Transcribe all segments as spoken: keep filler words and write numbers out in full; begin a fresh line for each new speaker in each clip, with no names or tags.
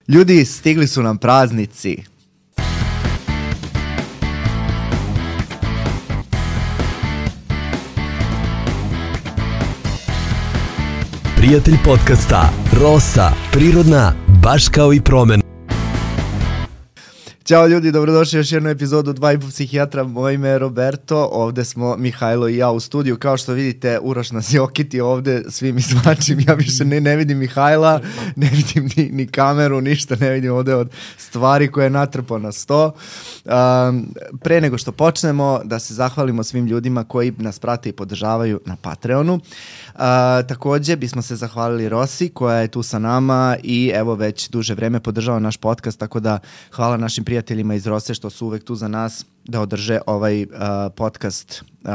Ljudi, stigli su nam praznici.
Prijatelj podcasta Rosa, prirodna, baš kao i promen.
Ćao ljudi, dobrodošli u još jednu epizodu Dva i po psihijatra. Moje ime je Roberto, ovde smo Mihajlo i ja u studiju. Kao što vidite, Uroš nas je okitio ovde svim izvačim. Ja više ne, ne vidim Mihajla, ne vidim ni, ni kameru, ništa ne vidim ovde od stvari koje je natrpao na sto. Um, pre nego što počnemo, da se zahvalimo svim ljudima koji nas prate i podržavaju na Patreonu. Uh, takođe bismo se zahvalili Rosi koja je tu sa nama i evo već duže vreme podržava naš podcast, tako da hvala našim prijateljima iz Rose što su uvek tu za nas da održe ovaj uh, podcast uh,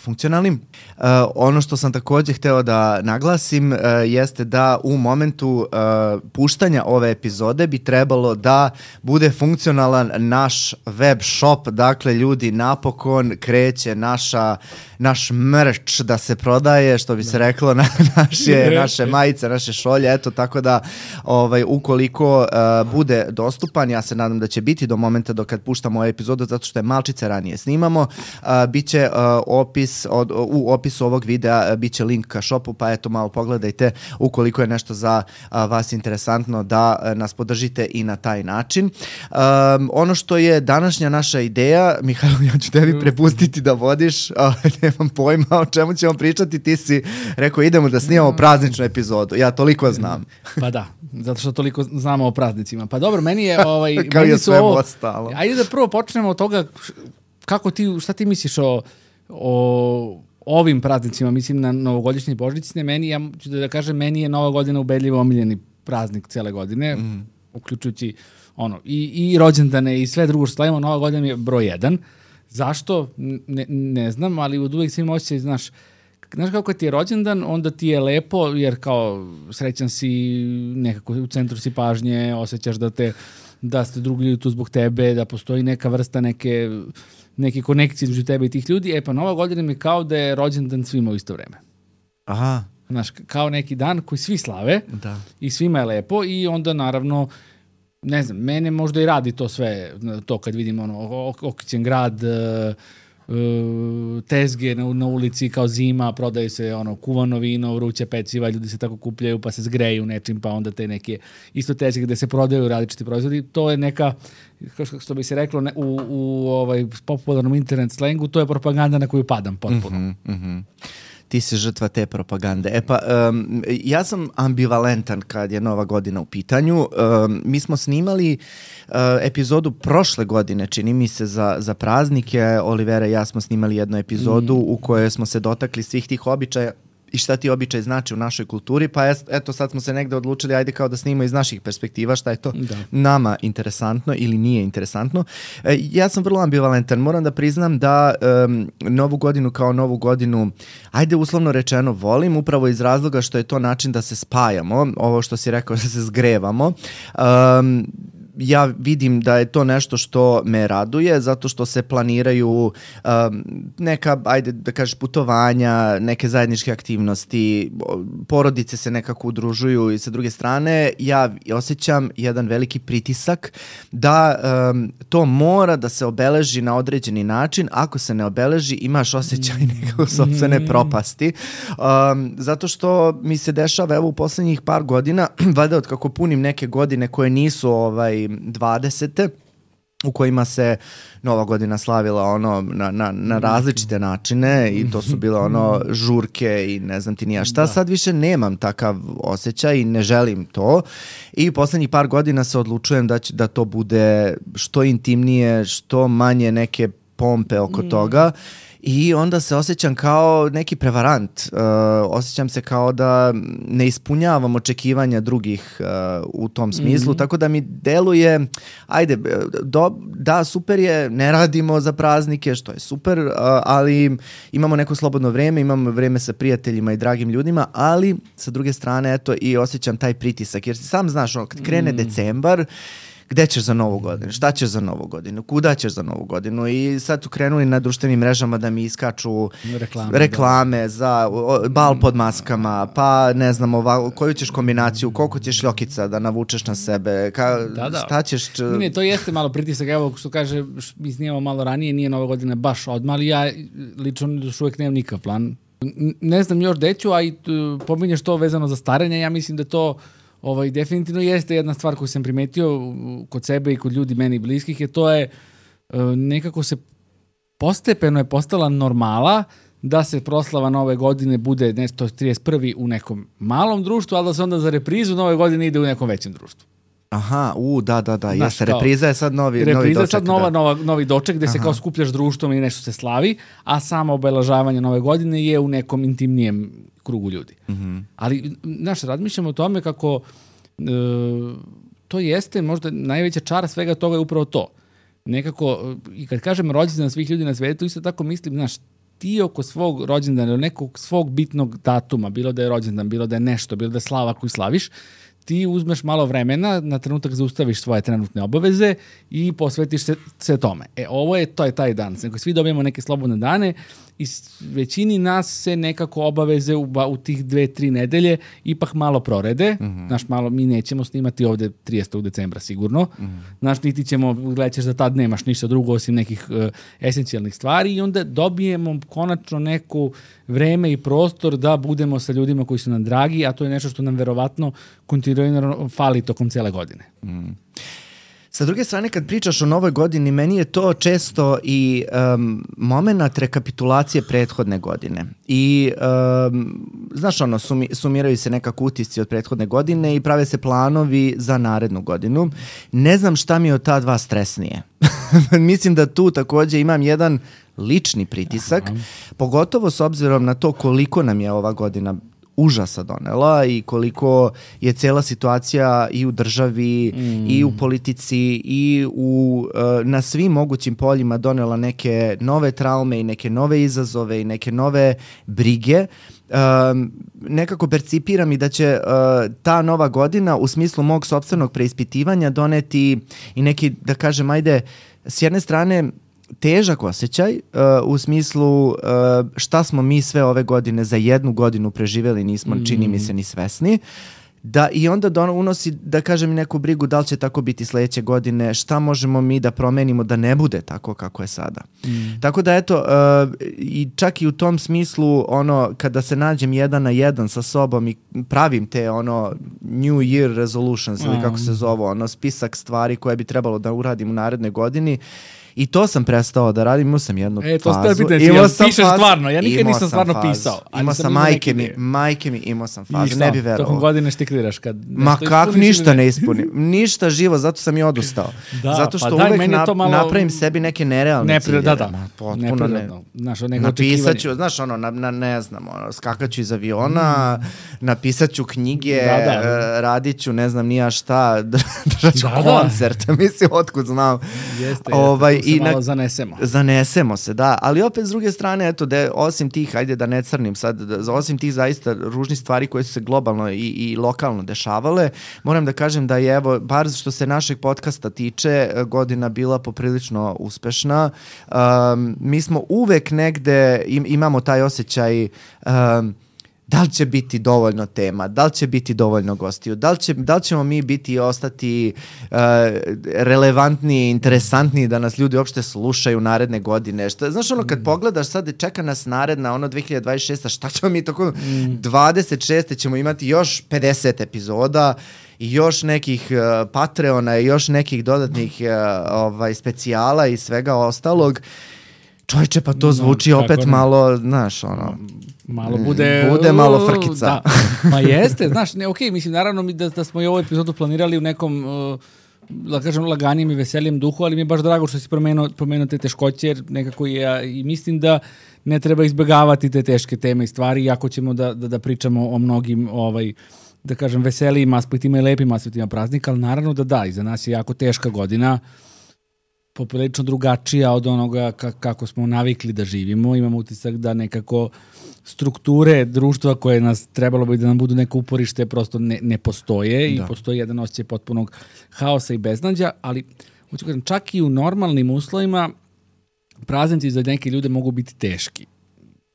funkcionalnim. Uh, ono što sam takođe hteo da naglasim uh, jeste da u momentu uh, puštanja ove epizode bi trebalo da bude funkcionalan naš web shop. Dakle, ljudi, napokon kreće naša, naš merch da se prodaje, što bi se reklo, na naše, naše majice, naše šolje. Eto, tako da ovaj, ukoliko uh, bude dostupan, ja se nadam da će biti do momenta do kad puštamo ovu epizodu, zato što je malčice ranije snimamo, uh, bit će uh, opis, od, u opisu ovog videa uh, bit će link ka shopu, pa eto malo pogledajte ukoliko je nešto za uh, vas interesantno da uh, nas podržite i na taj način. Um, ono što je današnja naša ideja, Mihajlo, ja ću tebi prepustiti da vodiš, uh, nemam pojma o čemu ćemo pričati, ti si rekao idemo da snimamo prazničnu epizodu, ja toliko znam.
Pa da, zato što toliko znamo o praznicima. Pa dobro, meni je ovaj
kao
meni
je
su
sve
ovo,
ostalo.
Ajde da prvo počnemo od toga kako ti, šta ti misliš o, o ovim praznicima, mislim na novogodišnje i božićne. Meni, ja ću da kažem, meni je Nova godina ubedljivo omiljeni praznik cele godine, mm. uključujući ono, i, i rođendane i sve drugo što slavimo. Nova godina mi je broj jedan. Zašto? Ne, ne znam, ali od uvijek svim osjećaj, znaš, Znaš kako ti je rođendan, onda ti je lepo, jer kao srećan si, nekako u centru si pažnje, osjećaš da te, da ste drugi ljudi tu zbog tebe, da postoji neka vrsta neke, neke konekcije između tebe i tih ljudi. E pa Nova godina mi kao da je rođendan svima u isto vreme.
Aha.
Znaš, kao neki dan koji svi slave
da. I
svima je lepo i onda naravno, ne znam, mene možda i radi to sve, to kad vidim ono, okićen grad, Uh, tezge na, na ulici kao zima, prodaju se ono kuvano vino, vruće peciva, ljudi se tako kupljaju pa se zgreju nečim, pa onda te neke isto tezge gde se prodaju različiti proizvodi. To je neka, što bi se reklo ne, u, u ovaj popularnom internet slengu, to je propaganda na koju padam potpuno.
Mm-hmm, mm-hmm. Ti si žrtva te propagande. E pa, um, ja sam ambivalentan kad je Nova godina u pitanju. Um, mi smo snimali uh, epizodu prošle godine, čini mi se, za, za praznike. Olivera i ja smo snimali jednu epizodu mm. u kojoj smo se dotakli svih tih običaja i šta ti običaj znači u našoj kulturi, pa eto sad smo se negde odlučili, ajde kao da snimamo iz naših perspektiva, šta je to da. nama interesantno ili nije interesantno. E, ja sam vrlo ambivalentan, moram da priznam da um, Novu godinu kao Novu godinu, ajde uslovno rečeno volim, upravo iz razloga što je to način da se spajamo, ovo što si rekao, da se zgrevamo. Um, ja vidim da je to nešto što me raduje, zato što se planiraju um, neka, ajde da kažeš, putovanja, neke zajedničke aktivnosti, porodice se nekako udružuju i sa druge strane ja osjećam jedan veliki pritisak da um, to mora da se obeleži na određeni način, ako se ne obeleži imaš osjećaj nekako sopstvene propasti, um, zato što mi se dešava evo u poslednjih par godina, valjda od kako punim neke godine koje nisu ovaj dvadesete u kojima se Nova godina slavila ono na, na, na različite načine i to su bile ono žurke i ne znam ti nija šta. Da. Sad više nemam takav osjećaj i ne želim to i poslednjih par godina se odlučujem da, će, da to bude što intimnije, što manje neke pompe oko mm. toga. I onda se osjećam kao neki prevarant. Uh, osjećam se kao da ne ispunjavam očekivanja drugih uh, u tom smislu, mm-hmm. tako da mi deluje, ajde, do, da, super je, ne radimo za praznike, što je super, uh, ali imamo neko slobodno vreme, imamo vreme sa prijateljima i dragim ljudima, ali sa druge strane, eto, i osjećam taj pritisak, jer sam znaš, ono, kad krene mm. decembar, gde ćeš za novu godinu, šta ćeš za novu godinu, kuda ćeš za novu godinu i sad su krenuli na društvenim mrežama da mi iskaču
reklame,
reklame za o, bal pod maskama, pa ne znam ova, koju ćeš kombinaciju, koliko ćeš ljokica da navučeš na sebe, ka,
da, da.
šta ćeš... Č...
Ne, ne, to jeste malo pritisak, evo što kaže, mi snijemo malo ranije, nije nova godina baš odmah, ali ja lično još uvijek nemam nikakav plan. Ne znam još deću, a i pominješ to vezano za starenje, ja mislim da to ovaj, definitivno jeste jedna stvar koju sam primetio kod sebe i kod ljudi meni bliskih, je to je nekako se postepeno je postala normala da se proslava nove godine bude nešto trideset prvi u nekom malom društvu, ali da se onda za reprizu nove godine ide u nekom većem društvu.
Aha, u, da, da, da,
Znaš,
jeste, repriza je sad novi,
repriza
novi doček.
Repriza je sad nova,
da.
nova, novi doček gde Aha. se kao skupljaš društvom i nešto se slavi, a samo obeležavanje nove godine je u nekom intimnijem krugu ljudi. Mm-hmm. Ali, znaš, razmišljamo o tome kako e, to jeste možda najveća čara svega toga je upravo to. Nekako, i kad kažem rođendan svih ljudi na svetu, isto tako mislim, znaš, ti oko svog rođendana ili nekog svog bitnog datuma, bilo da je rođendan, bilo da je nešto, bilo da je slava koju slaviš, ti uzmeš malo vremena, na trenutak zaustaviš svoje trenutne obaveze i posvetiš se, se tome. E, ovo je, to je taj dan. Znači, svi dobijemo neke slobodne dane i većini nas se nekako obaveze u, u tih dve, tri nedelje ipak malo prorede. Mm-hmm. Znaš, malo, mi nećemo snimati ovde tridesetog decembra sigurno. Mm-hmm. Znaš, niti ćemo, gledat ćeš da tad nemaš ništa drugo osim nekih uh, esencijalnih stvari i onda dobijemo konačno neku vreme i prostor da budemo sa ljudima koji su nam dragi, a to je nešto što nam verovatno kontinuirano fali tokom cele godine.
Mm. Sa druge strane, kad pričaš o novoj godini, meni je to često i um, moment rekapitulacije prethodne godine. I, um, znaš, ono, sumi, sumiraju se nekako utisci od prethodne godine i prave se planovi za narednu godinu. Ne znam šta mi je od ta dva stresnije. Mislim da tu takođe imam jedan lični pritisak, Aha. pogotovo s obzirom na to koliko nam je ova godina užasa donela i koliko je cela situacija i u državi mm. i u politici i u, uh, na svim mogućim poljima donela neke nove traume i neke nove izazove i neke nove brige. Um, nekako percipiram i da će uh, ta nova godina u smislu mog sopstvenog preispitivanja doneti i neki, da kažem, ajde, s jedne strane težak osjećaj uh, u smislu uh, šta smo mi sve ove godine za jednu godinu preživeli, nismo, mm. čini mi se, ni svesni. Da, i onda dono, unosi, da kažem, neku brigu da li će tako biti sledeće godine, šta možemo mi da promenimo da ne bude tako kako je sada. Mm. Tako da, eto, uh, i čak i u tom smislu, ono, kada se nađem jedan na jedan sa sobom i pravim te, ono, New Year resolutions, mm. ili kako se zove, ono, spisak stvari koje bi trebalo da uradim u narednoj godini, i to sam prestao da radim, imao sam jednu
e, to
fazu.
E, to ja pišeš fazu, stvarno, ja nikad nisam stvarno fazu. pisao.
Imao sam, majke mi, majke mi, imao sam fazu,
Išto,
ne bi verovao.
Tokom godine štikliraš kad
Ma kak, ništa ne ispunim, ništa živo, zato sam i odustao. Da, zato što pa uvek daj, nap, malo... napravim sebi neke nerealne
ne,
ciljeve.
Da, da, potpuno ne. Znaš,
napisat ću, znaš, ono, na, na, ne znam, ono, skakaću iz aviona, mm. napisat ću knjige, da, da. radit ću, ne znam, nija šta, držat ću da, koncert, da. mislim, otkud znam.
Jeste,
ovaj,
jeste, tu se malo zanesemo.
Zanesemo se, da, ali opet s druge strane, eto, da osim tih, ajde da ne crnim sad, da, osim tih zaista ružnih stvari koje su se globalno i, i lokalno dešavale, moram da kažem da je, evo, bar što se našeg podcasta tiče, godina bila poprilično uspešna. Um, mi smo uvek negde, im, imamo taj osjećaj um, da li će biti dovoljno tema, da li će biti dovoljno gostiju, da li, će, da li ćemo mi biti i ostati uh, relevantniji, interesantniji da nas ljudi uopšte slušaju naredne godine. Šta, znaš, ono, kad mm. pogledaš sad, čeka nas naredna, ono, dve hiljade dvadeset šesta, šta ćemo mi tako, mm. dvadeset šeste ćemo imati još pedeset epizoda, i još nekih uh, Patreona i još nekih dodatnih uh, ovaj, specijala i svega ostalog. Čovječe, pa to zvuči no, opet ne. malo, znaš, ono...
Malo bude...
Bude malo frkica.
Da. Ma jeste, znaš, ne, okej, okay, mislim, naravno mi da, da smo i ovu epizodu planirali u nekom, uh, da kažem, laganijem i veselijem duhu, ali mi je baš drago što si promenuo, promenuo te teškoće, jer nekako ja i mislim da ne treba izbjegavati te teške teme i stvari, iako ćemo da, da, da pričamo o mnogim, ovaj, da kažem, veselijim aspektima i lepim aspektima praznika, ali naravno da da, iza nas je jako teška godina. poprilično drugačija od onoga ka, kako smo navikli da živimo. Imamo utisak da nekako strukture društva koje nas trebalo bi da nam budu neko uporište prosto ne, ne postoje da. I postoji jedan osjećaj potpunog haosa i beznađa, ali hoću kažem, čak i u normalnim uslovima praznici za neke ljude mogu biti teški.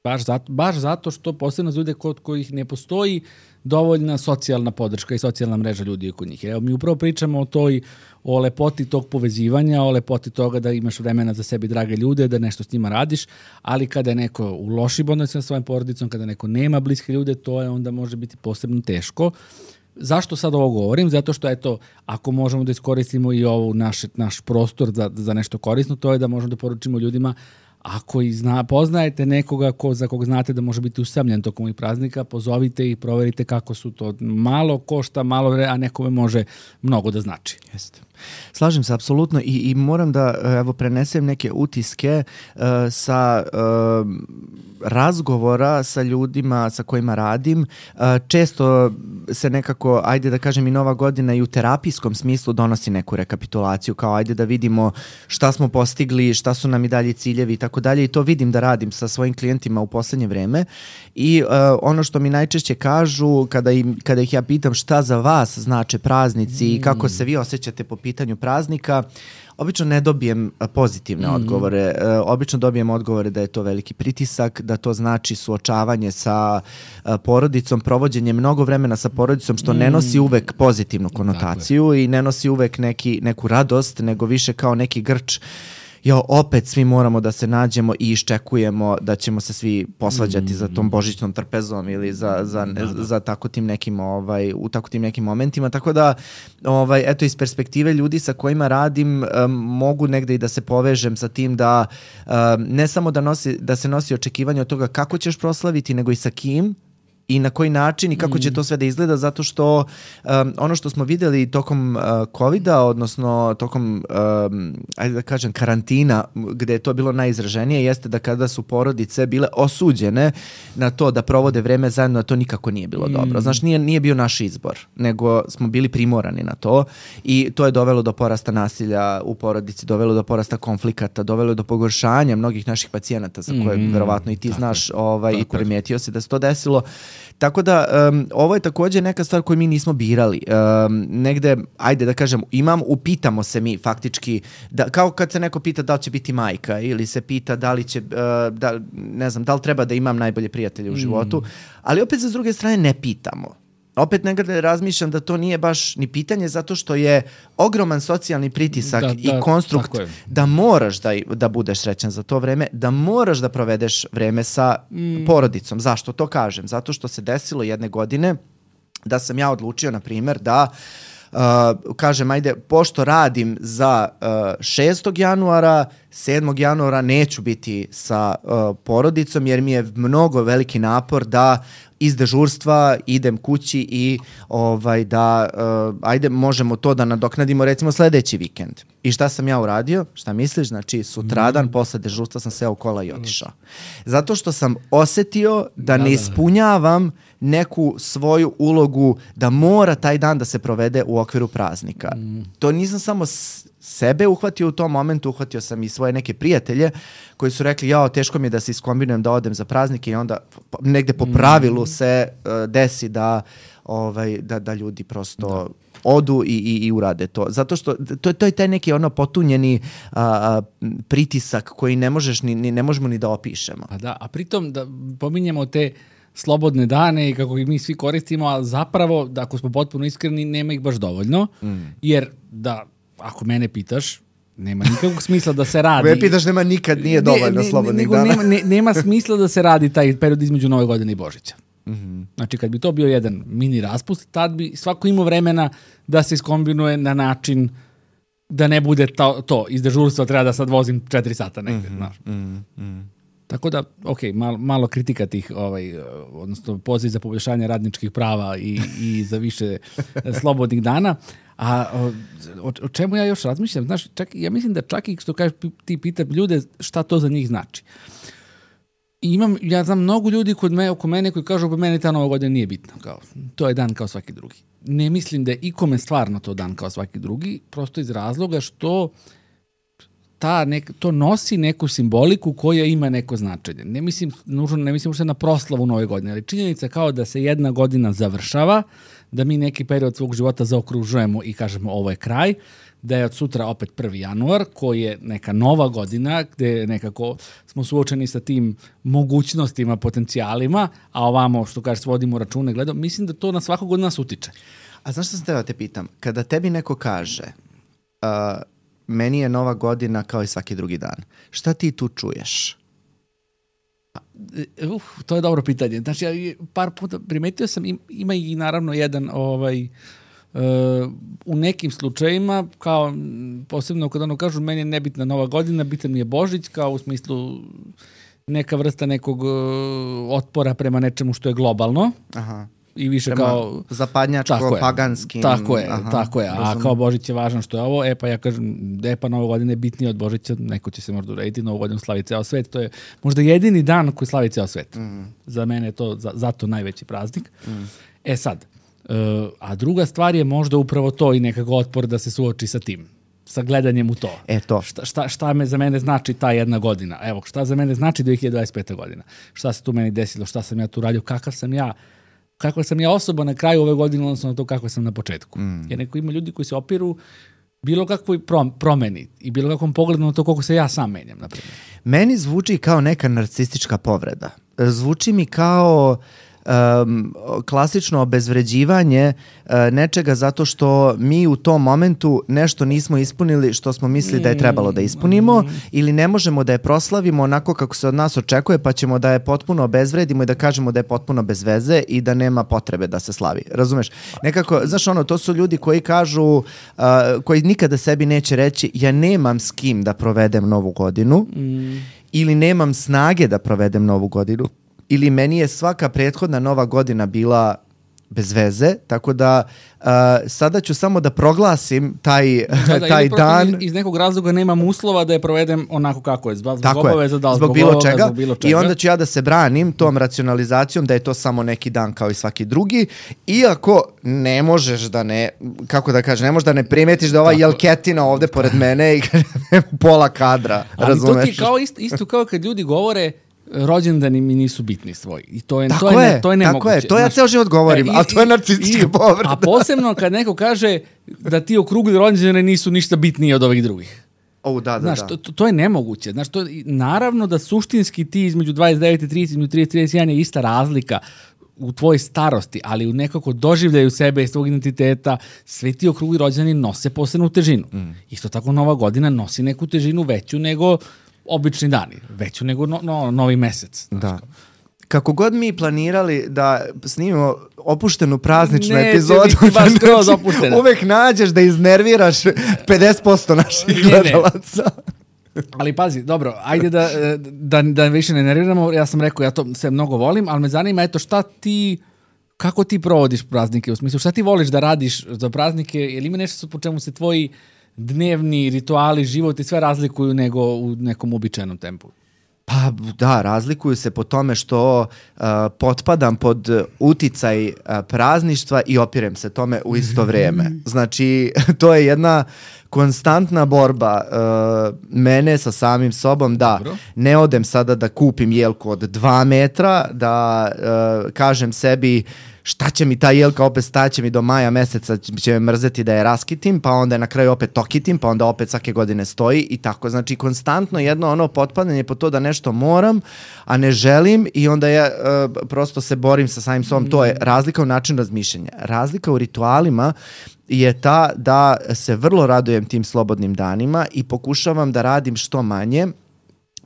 Baš zato, baš zato što posebno za ljude kod kojih ne postoji dovoljna socijalna podrška i socijalna mreža ljudi oko njih. Evo, mi upravo pričamo o toj, o lepoti tog povezivanja, o lepoti toga da imaš vremena za sebi drage ljude, da nešto s njima radiš, ali kada je neko u lošim odnosima sa svojim porodicom, kada neko nema bliske ljude, to je onda može biti posebno teško. Zašto sad ovo govorim? Zato što, eto, ako možemo da iskoristimo i ovu naš, naš prostor za, za nešto korisno, to je da možemo da poručimo ljudima, ako i zna, poznajete nekoga ko, za kog znate da može biti usamljen tokom ovih praznika, pozovite i proverite kako su to. Malo košta, malo vre, a nekome može mnogo da znači.
Jeste. Slažem se apsolutno i, i moram da evo prenesem neke utiske uh, sa uh, razgovora sa ljudima sa kojima radim. Uh, često se nekako, ajde da kažem i Nova godina i u terapijskom smislu donosi neku rekapitulaciju, kao ajde da vidimo šta smo postigli, šta su nam i dalje ciljevi i tako dalje, i to vidim da radim sa svojim klijentima u poslednje vreme i uh, ono što mi najčešće kažu kada, im, kada ih ja pitam šta za vas znače praznici mm. i kako se vi osjećate po pitanju praznika, obično ne dobijem pozitivne mm-hmm. odgovore. E, obično dobijem odgovore da je to veliki pritisak, da to znači suočavanje sa a, porodicom, provođenje mnogo vremena sa porodicom, što mm. ne nosi uvek pozitivnu konotaciju i ne nosi uvek neki, neku radost, nego više kao neki grč. Jo, opet svi moramo da se nađemo i iščekujemo da ćemo se svi posvađati mm. za tom božićnom trpezom ili za, za, da, da. za tako tim nekim, ovaj, u tako tim nekim momentima. Tako da, ovaj, eto, iz perspektive ljudi sa kojima radim, um, mogu negde i da se povežem sa tim da um, ne samo da, nosi, da se nosi očekivanje od toga kako ćeš proslaviti, nego i sa kim i na koji način i kako će to sve da izgleda, zato što um, ono što smo videli tokom uh, covida, odnosno tokom, um, ajde da kažem, karantina, gde je to bilo najizraženije, jeste da kada su porodice bile osuđene na to da provode vreme zajedno, to nikako nije bilo mm. dobro. Znaš, nije, nije bio naš izbor, nego smo bili primorani na to i to je dovelo do porasta nasilja u porodici, dovelo do porasta konflikata, dovelo do pogoršanja mnogih naših pacijenata, za koje mm. verovatno i ti tako znaš ovaj, i primetio si da se to desilo. Tako da, um, ovo je takođe neka stvar koju mi nismo birali. Um, negde, ajde da kažem, imam, upitamo se mi faktički, da, kao kad se neko pita da li će biti majka ili se pita da li će, uh, da, ne znam, da li treba da imam najbolje prijatelje u životu, mm. ali opet sa druge strane ne pitamo. Opet negde razmišljam da to nije baš ni pitanje, zato što je ogroman socijalni pritisak da, i da, konstrukt da moraš da, da budeš srećan za to vreme, da moraš da provedeš vreme sa mm. porodicom. Zašto to kažem? Zato što se desilo jedne godine da sam ja odlučio, na primjer, da Uh, kažem, ajde, pošto radim za uh, šestog januara, sedmog januara neću biti sa uh, porodicom, jer mi je mnogo veliki napor da iz dežurstva idem kući i ovaj, da, uh, ajde, možemo to da nadoknadimo recimo sledeći vikend. I šta sam ja uradio? Šta misliš? Znači, sutradan mm. posle dežurstva sam seo u kola i otišao. Zato što sam osetio da, da ne ispunjavam neku svoju ulogu da mora taj dan da se provede u okviru praznika. Mm. To nisam samo sebe uhvatio u tom momentu, uhvatio sam i svoje neke prijatelje koji su rekli, jao, teško mi je da se iskombinujem da odem za praznike, i onda negde po pravilu se uh, desi da, ovaj, da, da ljudi prosto da. odu i, i, i urade to. Zato što to, to je taj neki ono potunjeni a, pritisak koji ne možeš ni, ni, ne možemo ni da opišemo.
Pa da, a pritom da pominjemo te slobodne dane i kako ih mi svi koristimo, a zapravo, da ako smo potpuno iskreni, nema ih baš dovoljno, mm. jer da, ako mene pitaš, nema nikakvog smisla da se radi.
Me pitaš, nema nikad, nije dovoljno ne, slobodnih
ne,
dana.
Nema, ne, nema smisla da se radi taj period između Nove godine i Božića. Mm-hmm. Znači, kad bi to bio jedan mini raspust, tad bi svako imao vremena da se iskombinuje na način da ne bude to, to iz dežurstva treba da sad vozim četiri sata negde, mm-hmm. znaš. Mm-hmm. Tako da, ok, malo, malo kritika tih, ovaj, odnosno poziv za poboljšanje radničkih prava i, i za više slobodnih dana. A o, o čemu ja još razmišljam? Znaš, čak, ja mislim da čak i što kažeš, ti pita ljude šta to za njih znači. I imam, ja znam mnogo ljudi kod me, oko mene koji kažu, pa meni ta Nova godina nije bitna. Kao, to je dan kao svaki drugi. Ne mislim da je ikome stvarno to dan kao svaki drugi, prosto iz razloga što ta nek, to nosi neku simboliku koja ima neko značenje. Ne mislim, nužno, ne mislim ušte na proslavu nove godine, ali činjenica kao da se jedna godina završava, da mi neki period svog života zaokružujemo i kažemo ovo je kraj, da je od sutra opet prvi januar, koji je neka nova godina, gde nekako smo suočeni sa tim mogućnostima, potencijalima, a ovamo, što kažeš, vodimo račune, gledam, mislim da to na svakog od nas utiče.
A znaš što sam teba te pitam? Kada tebi neko kaže uh, meni je nova godina kao i svaki drugi dan, šta ti tu čuješ?
Uh, to je dobro pitanje. Znači, ja par puta primetio sam, ima i naravno jedan ovaj, uh, u nekim slučajima, kao posebno kada ono kažu meni je nebitna nova godina, bitan mi je Božić, kao u smislu neka vrsta nekog uh, otpora prema nečemu što je globalno. Aha. I više prema kao
zapadnjačko, paganskim.
Tako je, aha, tako je. A razum. Kao Božić je važno što je ovo, e pa ja kažem, e pa Nova godina je bitnije od Božića, neko će se možda urediti, Novu godinu slavi ceo svet, to je možda jedini dan koji slavi ceo svet. Mm. Za mene je to za, zato najveći praznik. Mm. E sad, uh, a druga stvar je možda upravo to i nekako otpor da se suoči sa tim, sa gledanjem u to.
E to.
Šta, šta, šta me za mene znači ta jedna godina? Evo, šta za mene znači dve hiljade dvadeset peta godina? Šta se tu meni desilo? Šta sam ja tu radio? Kakav sam ja? Kako sam ja osoba na kraju ove godine, odnosno na to kako sam na početku. Mm. Jer neko ima ljudi koji se opiru bilo kakvoj promeni i bilo kakvom pogledu na to koliko se ja sam menjam, na primjer.
Meni zvuči kao neka narcistička povreda. Zvuči mi kao um, klasično obezvređivanje uh, nečega zato što mi u tom momentu nešto nismo ispunili što smo mislili da je trebalo da ispunimo, mm. ili ne možemo da je proslavimo onako kako se od nas očekuje, pa ćemo da je potpuno obezvredimo i da kažemo da je potpuno bez veze i da nema potrebe da se slavi. Razumeš? Nekako, znaš ono, to su ljudi koji kažu, uh, koji nikada sebi neće reći ja nemam s kim da provedem novu godinu mm. ili nemam snage da provedem novu godinu. Ili meni je svaka prethodna nova godina bila bez veze, tako da uh, sada ću samo da proglasim taj, da, da, taj dan.
Iz, iz nekog razloga nemam uslova da je provedem onako kako je, zbog obaveza, da,
zbog, zbog, bilo čega, zbog bilo čega. I onda ću ja da se branim tom racionalizacijom da je to samo neki dan kao i svaki drugi, iako ne možeš da ne, kako da kažem, ne možeš da ne primetiš da ova jelketina ovde pored mene i pola kadra,
ali
razumeš?
Ali to ti kao isto, isto kao kad ljudi govore rođendani mi nisu bitni svoji. I to je,
tako
to je,
je,
to je nemoguće.
Tako je, to ja ceo život govorim, a to je narcistička povreda.
A posebno kad neko kaže da ti okrugli rođendane nisu ništa bitniji od ovih drugih.
O, da, da,
znaš,
da.
To, to je nemoguće. Znaš, to, naravno da suštinski ti između dvadeset devet i trideset, između trideset i trideset jedan je ista razlika u tvojoj starosti, ali u nekako doživljaju sebe i svog identiteta, svi ti okrugli rođendani nose posebnu težinu. Mm. Isto tako Nova godina nosi neku težinu veću nego obični dani, veću nego no, no, novi mesec.
Da. Kako god mi planirali da snimimo opuštenu prazničnu
ne,
epizodu,
ne, baš skroz opuštena.
Uvek nađeš da iznerviraš pedeset posto naših gledalaca.
Ali pazi, dobro, ajde da, da, da više ne nerviramo, ja sam rekao, ja to sve mnogo volim, ali me zanima, eto, šta ti, kako ti provodiš praznike, u smislu, šta ti voliš da radiš za praznike, ili ima nešto po čemu se tvoji dnevni rituali, život i sve razlikuju nego u nekom uobičajenom tempu?
Pa da, razlikuju se po tome što uh, potpadam pod uticaj uh, prazništva i opirem se tome u isto vrijeme. Znači, to je jedna konstantna borba uh, mene sa samim sobom da Dobro. Ne odem sada da kupim jelku od dva metra, da uh, kažem sebi šta će mi ta jelka, opet staće mi do maja meseca, će me mrzeti da je raskitim, pa onda je na kraju opet tokitim, pa onda opet svake godine stoji i tako. Znači, konstantno jedno ono potpadanje po to da nešto moram, a ne želim i onda ja uh, prosto se borim sa samim sobom. To je razlika u načinu razmišljanja. Razlika u ritualima je ta da se vrlo radujem tim slobodnim danima i pokušavam da radim što manje.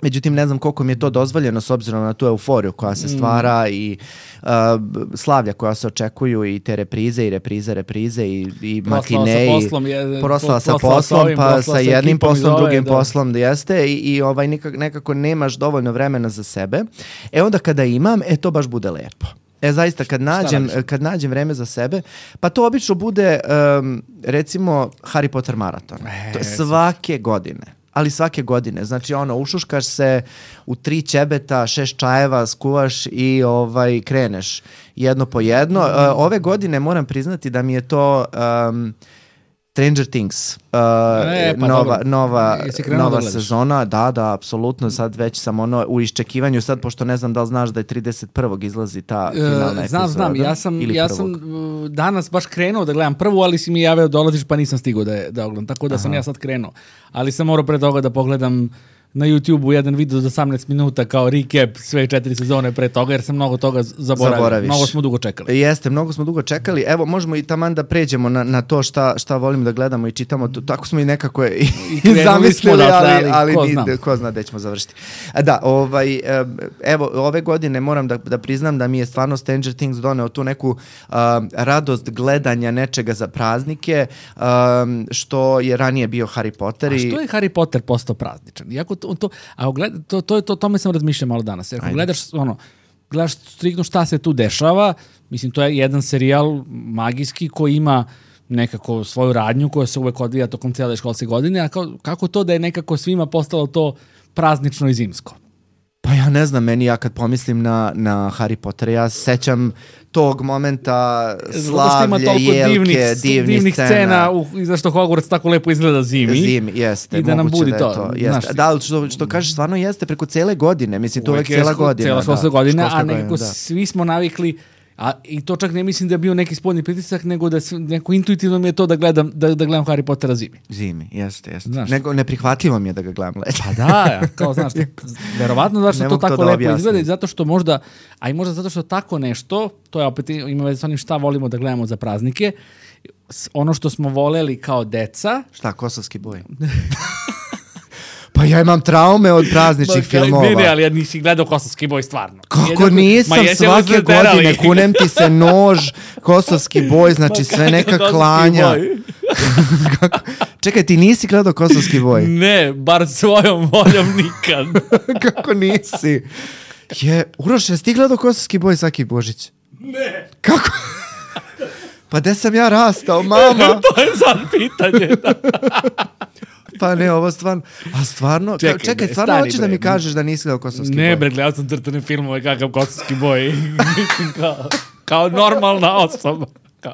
Međutim, ne znam koliko mi je to dozvoljeno s obzirom na tu euforiju koja se stvara i uh, slavlja koja se očekuju i te reprize i reprize, reprize i, i matine i proslava sa poslom, pa sa jednim poslom, drugim da. poslom jeste i, i ovaj, nekako, nekako nemaš dovoljno vremena za sebe. E onda kada imam, e to baš bude lepo. E zaista kad nađem, kad nađem vreme za sebe, pa to obično bude um, recimo Harry Potter maraton. E, to svake godine. Ali svake godine, znači ono, ušuškaš se u tri ćebeta, šest čajeva, skuvaš i ovaj kreneš jedno po jedno. Uh, ove godine moram priznati da mi je to um, Stranger Things, uh,
e, pa
nova,
dobro.
nova, nova
da
sezona, da, da, apsolutno, sad već sam ono u iščekivanju, sad pošto ne znam da li znaš da je trideset prvog izlazi ta finalna
uh,
epizoda.
Znam, znam, ja sam, ja sam uh, danas baš krenuo da gledam prvu, ali si mi javio dolaziš pa nisam stigao da, je, da ogledam, tako da Aha. sam ja sad krenuo. Ali sam morao pre toga da pogledam na YouTube-u jedan video za osamnaest minuta kao recap sve četiri sezone pre toga, jer sam mnogo toga zaboravio.
Zaboraviš.
Mnogo smo dugo čekali.
Jeste, mnogo smo dugo čekali. Evo, možemo i taman da pređemo na, na to šta, šta volim da gledamo i čitamo. Tako smo i nekako i,
I
zamislili,
odatle,
ali, ali
ko,
ni,
zna.
ko zna gde ćemo završiti. A da, ovaj, evo, ove godine moram da, da priznam da mi je stvarno Stranger Things doneo tu neku uh, radost gledanja nečega za praznike, um, što je ranije bio Harry Potter.
A
i...
što je Harry Potter postao prazničan? Iako to, to, a gled, to, to, to, tome sam razmišljao malo danas. Jer ako
Ajde.
gledaš, ono, gledaš striktno šta se tu dešava, mislim, to je jedan serijal magijski koji ima nekako svoju radnju koja se uvek odvija tokom cijele školske godine, a kao, kako to da je nekako svima postalo to praznično i zimsko?
Pa ja ne znam, meni ja kad pomislim na, na Harry Potter, ja sećam tog momenta slavlje, jelke,
divnih,
divnih,
divnih
scena.
scena u, i zašto Hogwarts tako lepo izgleda zimi.
Zimi, jeste.
I da nam budi
da
to.
to jeste.
Znaš,
da, ali što, što kažeš, stvarno jeste preko cele godine. Mislim, to je uvek cijela godina.
Cijela školska
da,
godina,
školska
a nekako
godina, da.
svi smo navikli, a i to čak ne mislim da je bio neki spoljni pritisak, nego da se, neko intuitivno mi je to da gledam, da, da gledam Harry Pottera zimi.
Zimi, jeste, jeste.
Znaš.
Nego, neprihvatljivo mi je da ga gledam leti.
Pa da, ja, kao znaš, verovatno zato što
Ne
to
mogu to
tako
da
lepo
objasnim.
izgleda i zato što možda, a i možda zato što tako nešto, to je opet ima veze sa onim šta volimo da gledamo za praznike, s- ono što smo voleli kao deca,
Šta, kosovski boj? Pa ja imam traume od prazničnih
Ma,
filmova.
Ne, ne, ali ja nisi gledao Kosovski boj stvarno.
Kako
Jednako-
nisam,
Ma, jesi li
svake
zaterali?
godine kunem ti se nož, kosovski boj, znači sve neka
Kosovski
klanja.
boj.
Kako- Čekaj, ti nisi gledao kosovski boj?
Ne, bar svojom voljom nikad.
Kako nisi? Je, Uroš, jesi ti gledao kosovski boj svaki Božić?
Ne.
Kako? Pa gde sam ja rastao, mama?
To je sad pitanje.
Pa ne, ovo stvarno... A stvarno,
Čekaj,
čekaj, čekaj
bre,
stvarno
stani,
hoćeš da
bre.
mi kažeš da nisi gledao kosovski
Ne,
boj?
bre, gledao sam crtane filmove kakav Kosovski boj. Mislim, kao, kao normalna osoba. Kao.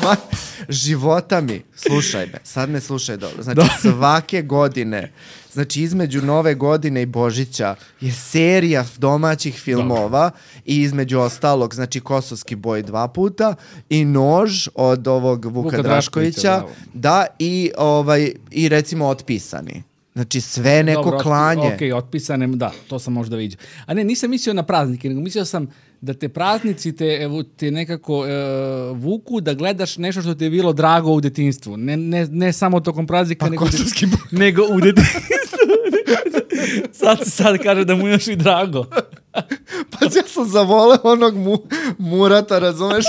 Ma, života mi, slušaj me, sad me slušaj dobro. Znači svake godine, znači između Nove godine i Božića je serija domaćih filmova i između ostalog, znači Kosovski boj dva puta i Nož od ovog Vuka,
Vuka
Draškovića,
Draškovića,
da, i, ovaj, i recimo Otpisani. Znači sve neko
Dobro,
klanje.
Ok, otpisane, da, to sam možda vidio. A ne, nisam mislio na praznike, nego mislio sam da te praznici te, evo, te nekako e, vuku da gledaš nešto što ti je bilo drago u detinjstvu. Ne, ne, ne samo tokom praznika,
Pa
nego,
kosovski boj.
nego u detinjstvu. sad se sad kaže da mu je još i drago.
Pa ja sam zavoleo onog mu, Murata, razumeš?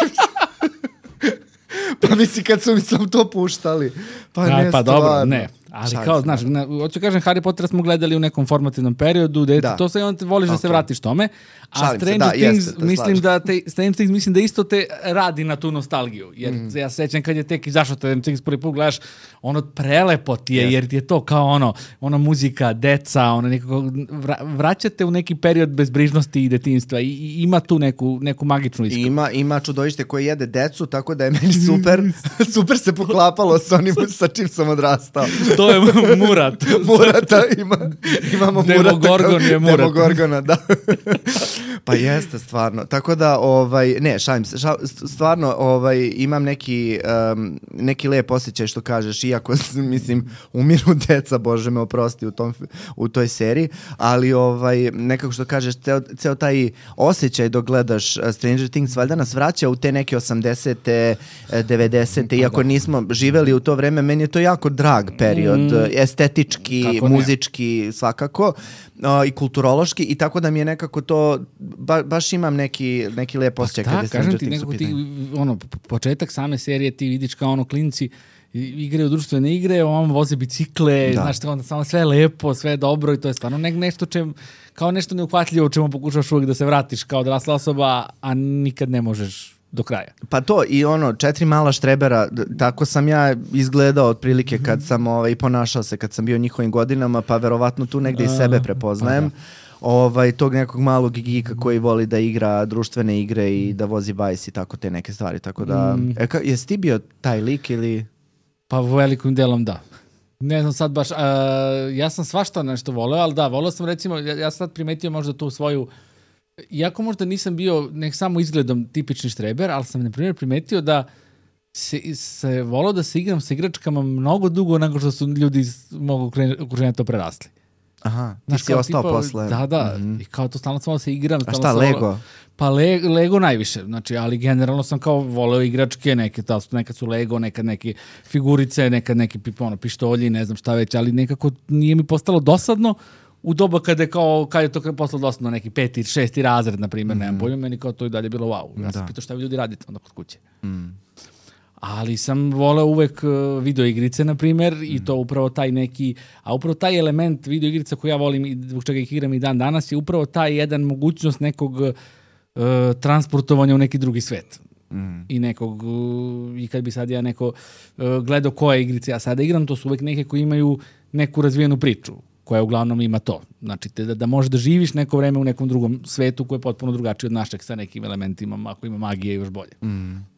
Pa misli kad su mi sam to puštali. Pa
A,
ne,
pa
stvarno.
dobro, ne. Ali
Šalim
kao,
se,
znaš, na, hoću kažem, Harry Potter smo gledali u nekom formativnom periodu, da,
Da.
to se onda voliš da se
Ok.
vratiš tome. A
Šalim se,
Stranger
da,
Things,
jeste, te
mislim
slažem.
da te, Stranger Things mislim da isto te radi na tu nostalgiju. Jer
Mhm.
ja se sećam kad je tek izašao Stranger Things prvi put gledaš, ono prelepo ti je,
Jeste.
jer ti je to kao ono, ono muzika, deca, ono nekako, vra, vraćate u neki period bezbrižnosti i detinjstva i, i ima tu neku, neku magičnu
I
iskru.
ima, ima čudovište koje jede decu, tako da je meni super, super se poklapalo sa onim sa čim sam odrastao.
To je Murat.
Murata ima, imamo Murata.
Demogorgon je Murat.
Demogorgona, da. Pa jeste, stvarno. Tako da, ovaj, ne, šalim se, ša, stvarno ovaj, imam neki, um, neki lep osjećaj što kažeš, iako, mislim, umiru deca, Bože me oprosti u, tom, u toj seriji, ali ovaj, nekako što kažeš, ceo, ceo taj osjećaj dok gledaš uh, Stranger Things, valjda nas vraća u te neke osamdesete, devedesete, iako nismo živeli u to vreme, meni je to jako drag period, mm. estetički,
Kako ne?
muzički, svakako, uh, i kulturološki, i tako da mi je nekako to, ba, baš imam neki, neki lep osjećaj
Da,
kada je
kažem
Stranger
ti,
Things u
nekako ti,
pitanju.
ono, p- početak same serije ti vidiš kao ono klinci i- igraju društvene igre, on voze bicikle,
Da.
znaš, ono, samo sve je lepo, sve je dobro i to je stvarno ne, nešto čem, kao nešto neuhvatljivo čemu pokušaš uvijek da se vratiš kao odrasla osoba, a nikad ne možeš do kraja.
Pa to i ono, četiri mala štrebera, d- tako sam ja izgledao otprilike kad sam ovaj, ponašao se, kad sam bio u njihovim godinama, pa verovatno tu negde i sebe prepoznajem. Ovaj, tog nekog malog gigika koji voli da igra društvene igre i da vozi bajs i tako te neke stvari. Tako da,
Mm.
e, ka, jesi ti bio taj lik ili...
Pa velikim delom da. Ne znam sad baš, uh, ja sam svašta nešto voleo, ali da, voleo sam recimo, ja, ja sad primetio možda tu svoju, iako možda nisam bio nek samo izgledom tipični štreber, ali sam na primjer primetio da se, se voleo da se igram sa igračkama mnogo dugo nego što su ljudi iz mog okruženja to prerasli.
Aha, ti
Znaš,
si ostao
tipa,
posle.
Da, da,
mm-hmm.
i kao to stalno sam volao da se igram.
A šta, Lego?
Pa le, Lego najviše, znači, ali generalno sam kao voleo igračke, neke, ta, nekad su Lego, nekad neke figurice, nekad neki ono, pištolji, ne znam šta već, ali nekako nije mi postalo dosadno u doba kada je, kao, kada je to postalo dosadno, neki peti, šesti razred, na primjer, mm. nemam bolju, meni kao to i dalje bilo wow. Ja sam pitao šta vi ljudi radite onda kod kuće.
Mm.
Ali sam voleo uvek video igrice, na primjer, mm. i to upravo taj neki, a upravo taj element video igrica koji ja volim i zbog čega ih igram i dan danas je upravo taj jedan mogućnost nekog uh, transportovanja u neki drugi svet. Mm. I nekog, uh, i kad bi sad ja neko uh, gledao koje igrice ja sada igram, to su uvek neke koji imaju neku razvijenu priču, koja uglavnom ima to. Znači, te, da, da možeš da živiš neko vreme u nekom drugom svetu koji je potpuno drugačiji od našeg sa nekim elementima, ako ima magije još bolje.
Mm.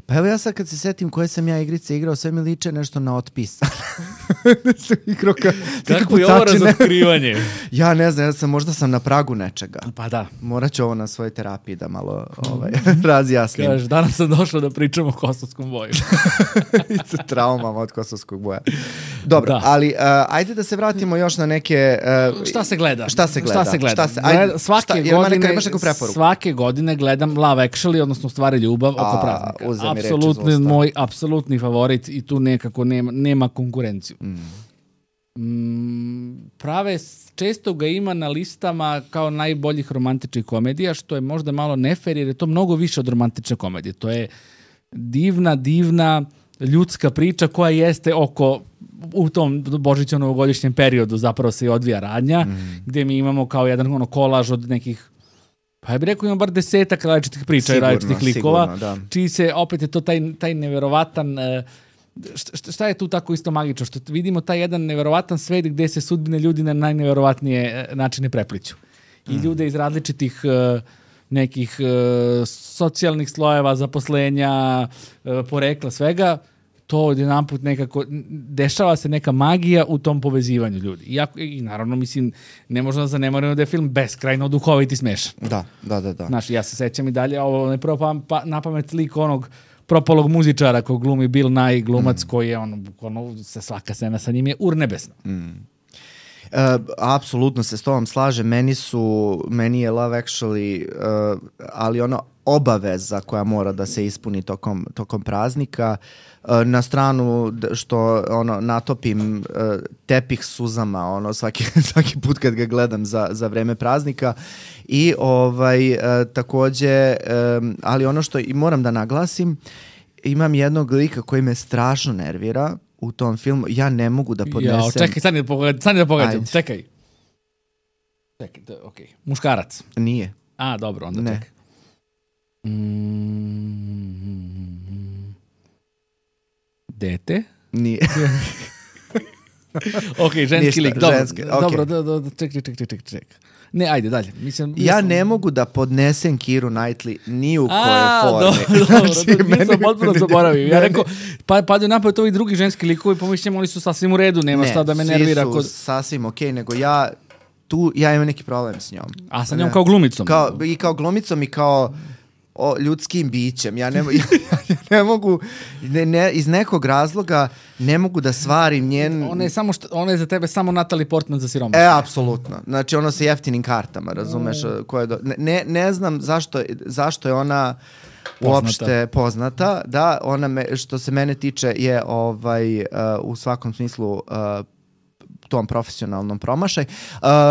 Pa evo ja sad kad se setim koje sam ja igrice igrao, sve mi liče nešto na otpis. sam igrao ka,
kako je ovo razotkrivanje?
Ja ne znam, ja sam, možda sam na pragu nečega.
Pa da.
Morat ću ovo na svojoj terapiji da malo ovaj, razjasnim.
Kažeš, danas sam došao da pričamo o kosovskom boju.
I sa traumama od kosovskog boja. Dobro, da. ali uh, ajde da se vratimo još na neke... Uh,
šta se gleda?
Šta se gleda?
Šta se gleda?
Šta se, ajde,
svake,
šta,
godine,
neka, imaš neku preporuku? Svake
godine gledam Love Actually, odnosno Stvari ljubav oko
A,
praznika. Apsolutni moj apsolutni favorit i tu nekako nema, nema konkurenciju. Mm. Mm, prave, često ga ima na listama kao najboljih romantičnih komedija, što je možda malo nefer, jer je to mnogo više od romantične komedije. To je divna, divna ljudska priča koja jeste oko, u tom božićnom novogodišnjem periodu zapravo se i odvija radnja, mm. gde mi imamo kao jedan ono, kolaž od nekih, pa ja bih rekao imam bar desetak različitih priča i različitih likova, sigurno, da. Čiji se, opet je to taj, taj neverovatan, šta, šta je tu tako isto magično, što vidimo taj jedan neverovatan svet gde se sudbine ljudi na najneverovatnije načine prepliću. I mm. ljude iz različitih nekih socijalnih slojeva, zaposlenja, porekla, svega, to odjedanput nekako, dešava se neka magija u tom povezivanju ljudi. Iako, i naravno, mislim, ne možemo da zanemarimo da je film beskrajno duhovit i smešan.
Da, da, da. da.
Znaš, ja se sećam i dalje, ovo ne prvo pa, pa, na pamet lik onog propalog muzičara kog glumi Bill Nye, glumac mm. koji je, ono, ono, se svaka scena sa njim je urnebesna.
Mm. Uh, apsolutno se s tobom slažem, meni su, meni je Love Actually, uh, ali ono obaveza koja mora da se ispuni tokom, tokom praznika, uh, na stranu što ono natopim uh, tepih suzama ono svaki, svaki put kad ga gledam za, za vreme praznika i ovaj uh, takođe, um, ali ono što i moram da naglasim, imam jednog lika koji me strašno nervira u tom filmu, ja ne mogu da podnesem...
Ja, čekaj, stani da pogledam, stani da pogledam, čekaj. Čekaj, to je okej. Okay. Muškarac?
Nije.
A, dobro, onda
ne.
čekaj. Mm, dete?
Nije.
ok, ženski Ništa, lik, dobro.
Ženske, okay.
Dobro, do, do, čekaj, čekaj, čekaj, čekaj. Ne, ajde, dalje. Mislim,
ja
mislim...
ne mogu da podnesem Kiru Knightley ni u
A,
koje forme.
Dobro, dobro, znači, dobro, nisam potpuno zaboravio. Ja rekao, pa, padaju napad ovi drugi ženski likovi, pomišljam, oni su sasvim u redu, nema
ne,
šta da me nervira.
Ne, svi su kod... sasvim okej, okay, nego ja tu, ja imam neki problem s njom.
A sa njom ne, kao glumicom?
Kao, I kao glumicom i kao o ljudskim bićem. Ja ne, ja, ja ne mogu, ne, ne, iz nekog razloga ne mogu da svarim njen...
Ona je, samo što, ona je za tebe samo Natalie Portman za siromašne.
E, apsolutno. Znači, ono sa jeftinim kartama, razumeš? Mm. Koje do... ne, ne znam zašto, zašto je ona uopšte poznata. poznata. Da, ona, me, što se mene tiče, je ovaj, uh, u svakom smislu... Uh, tom profesionalnom promašaj.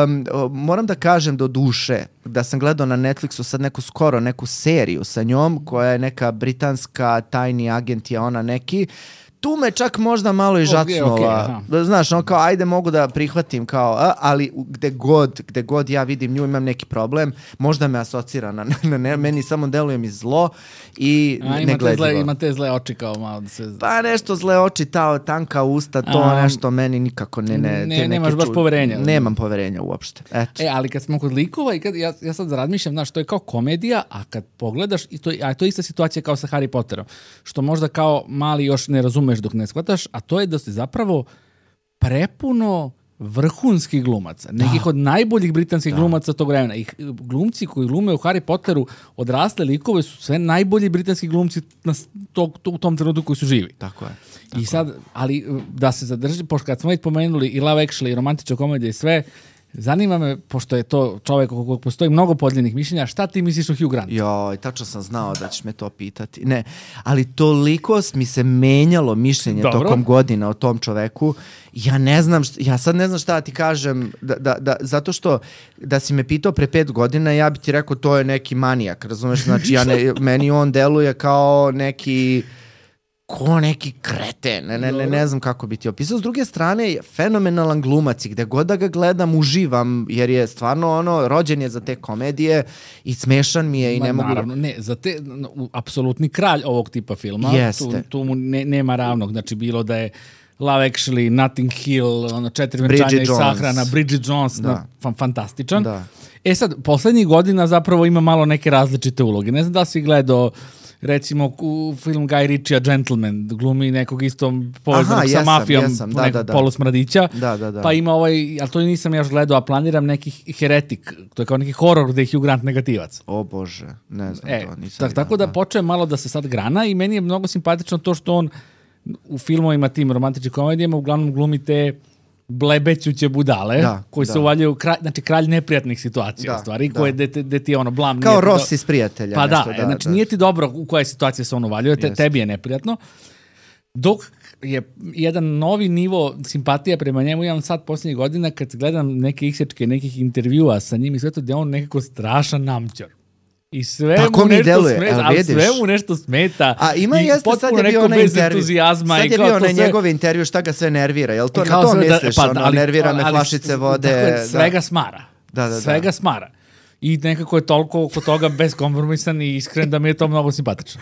Um, moram da kažem do duše da sam gledao na Netflixu sad neku skoro neku seriju sa njom koja je neka britanska tajni agent je ona neki. Tu me čak možda malo i žacnula. Okay, okay, znaš, on kao, ajde mogu da prihvatim kao, a, ali gde god, gde god ja vidim nju imam neki problem, možda me asocira na, na ne, meni samo deluje mi zlo i
a,
negledljivo.
Zle, ima te zle oči kao malo da se...
Pa nešto zle oči, ta tanka usta, to a, nešto meni nikako ne... Ne,
ne te nemaš baš ču... poverenja.
Nemam poverenja uopšte. Eto.
E, ali kad smo kod likova i kad ja, ja sad razmišljam, znaš, to je kao komedija, a kad pogledaš, i to, a to je ista situacija kao sa Harry Potterom, što možda kao mali još ne razumeš razumeš dok ne shvataš, a to je da se zapravo prepuno vrhunskih glumaca, nekih da. od najboljih britanskih da. glumaca tog vremena. I glumci koji glume u Harry Potteru odrasle likove su sve najbolji britanski glumci na to, to, u tom trenutku koji su živi.
Tako je. Tako
I sad, ali da se zadrži, pošto kad smo već pomenuli i Love Actually, i romantična komedija i sve, zanima me, pošto je to čovjek oko kojeg postoji mnogo podijeljenih mišljenja, šta ti misliš o Hugh Grantu?
Joj, tačno sam znao da ćeš me to pitati. Ne, ali toliko mi se menjalo mišljenje Dobro. tokom godina o tom čoveku. Ja ne znam, šta, ja sad ne znam šta ti kažem, da, da, da, zato što da si me pitao pre pet godina, ja bi ti rekao to je neki manijak, razumeš? Znači, ja ne, meni on deluje kao neki... ko neki kreten, ne, ne, ne, ne znam kako bi ti opisao. S druge strane, je fenomenalan glumac i gde god da ga gledam, uživam, jer je stvarno ono, rođen je za te komedije i smešan mi je i
Ma,
ne mogu...
Naravno, ne, za te, no, apsolutni kralj ovog tipa filma, tu, tu mu ne, nema ravnog, znači bilo da je Love Actually, Notting Hill, ono, četiri venčanja i sahrana, Bridget Jones, da. na, fantastičan. Da. E sad, poslednjih godina zapravo ima malo neke različite uloge. Ne znam da si gledao recimo u film Guy Ritchie, Gentleman, glumi nekog isto povezanog sa mafijom,
jesam, da,
nekog
da, da.
polusmradića,
da, da, da.
pa ima ovaj, ali to nisam još gledao, a planiram neki Heretik, to je kao neki horor gde je Hugh Grant negativac.
O Bože, ne znam
e,
to, nisam.
Tak, tako da počeo malo da se sad grana i meni je mnogo simpatično to što on u filmovima tim romantičnim komedijama uglavnom glumi te blebećuće budale, da, koji da. se uvaljuju, kralj, znači kralj neprijatnih situacija, da, stvari, da. koje de, de ti je ono blam.
Kao Ross iz Prijatelja.
Pa
nešto,
da, da, znači da. nije ti dobro u koje situacije se on uvaljuje, te, tebi je neprijatno. Dok je jedan novi nivo simpatija prema njemu, imam sad posljednjih godina kad gledam neke isječke, nekih intervjua sa njim i sve to, gde on nekako strašan namćor. I sve
Tako
mu nešto
deluje,
smeta, ali sve mu nešto smeta.
A ima
i
jeste, sad je bio onaj intervju. Sad je bio onaj sve... njegov intervju, šta ga sve nervira. Jel to na to misliš? Da, pa, ono, ali, nervira me ali, flašice vode.
Dakle, svega da. smara.
Da, da,
svega
da.
smara. I nekako je toliko oko toga beskompromisan i iskren da mi je to mnogo simpatično.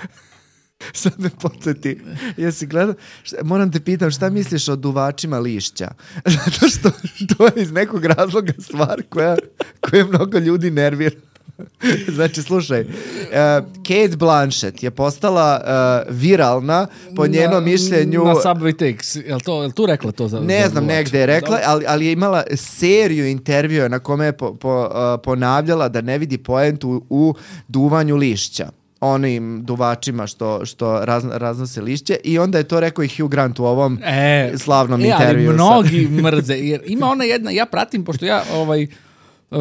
Sad me podsjeti, jesi gledao, šta, moram te pitam šta misliš o duvačima lišća? Zato što to je iz nekog razloga stvar koja, koja mnogo ljudi nervira. Znači, slušaj, uh, Kate Blanchett je postala uh, viralna po njenom na, mišljenju...
Na Subway Takes, je li to, je li tu rekla to? Za,
ne
za
znam,
duvač?
negde je rekla, ali, ali je imala seriju intervjua na kome je po, po, uh, ponavljala da ne vidi poentu u duvanju lišća. Onim duvačima što, što raz, raznose lišće i onda je to rekao i Hugh Grant u ovom e, slavnom e, intervju.
Ali mnogi mrze, jer ima ona jedna, ja pratim, pošto ja ovaj, uh,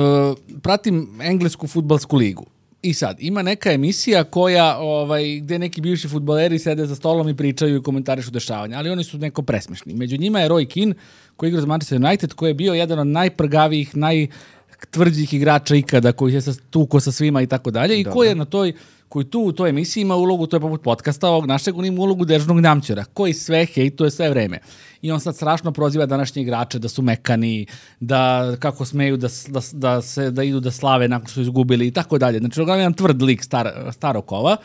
pratim englesku fudbalsku ligu. I sad, ima neka emisija koja, ovaj, gde neki bivši fudbaleri sede za stolom i pričaju i komentarišu dešavanja, ali oni su neko presmešni. Među njima je Roy Keane, koji igra za Manchester United, koji je bio jedan od najprgavijih, najtvrđih igrača ikada, koji je tuko sa svima i tako dalje, i koji je na toj koji tu u toj emisiji ima ulogu, to je poput podcasta ovog našeg, on ima ulogu dežnog namćora, koji sve hejtuje sve vreme. I on sad strašno proziva današnje igrače da su mekani, da kako smeju da, da, da, se, da idu da slave nakon što su izgubili i tako dalje. Znači, uglavnom jedan tvrd lik star, starokova.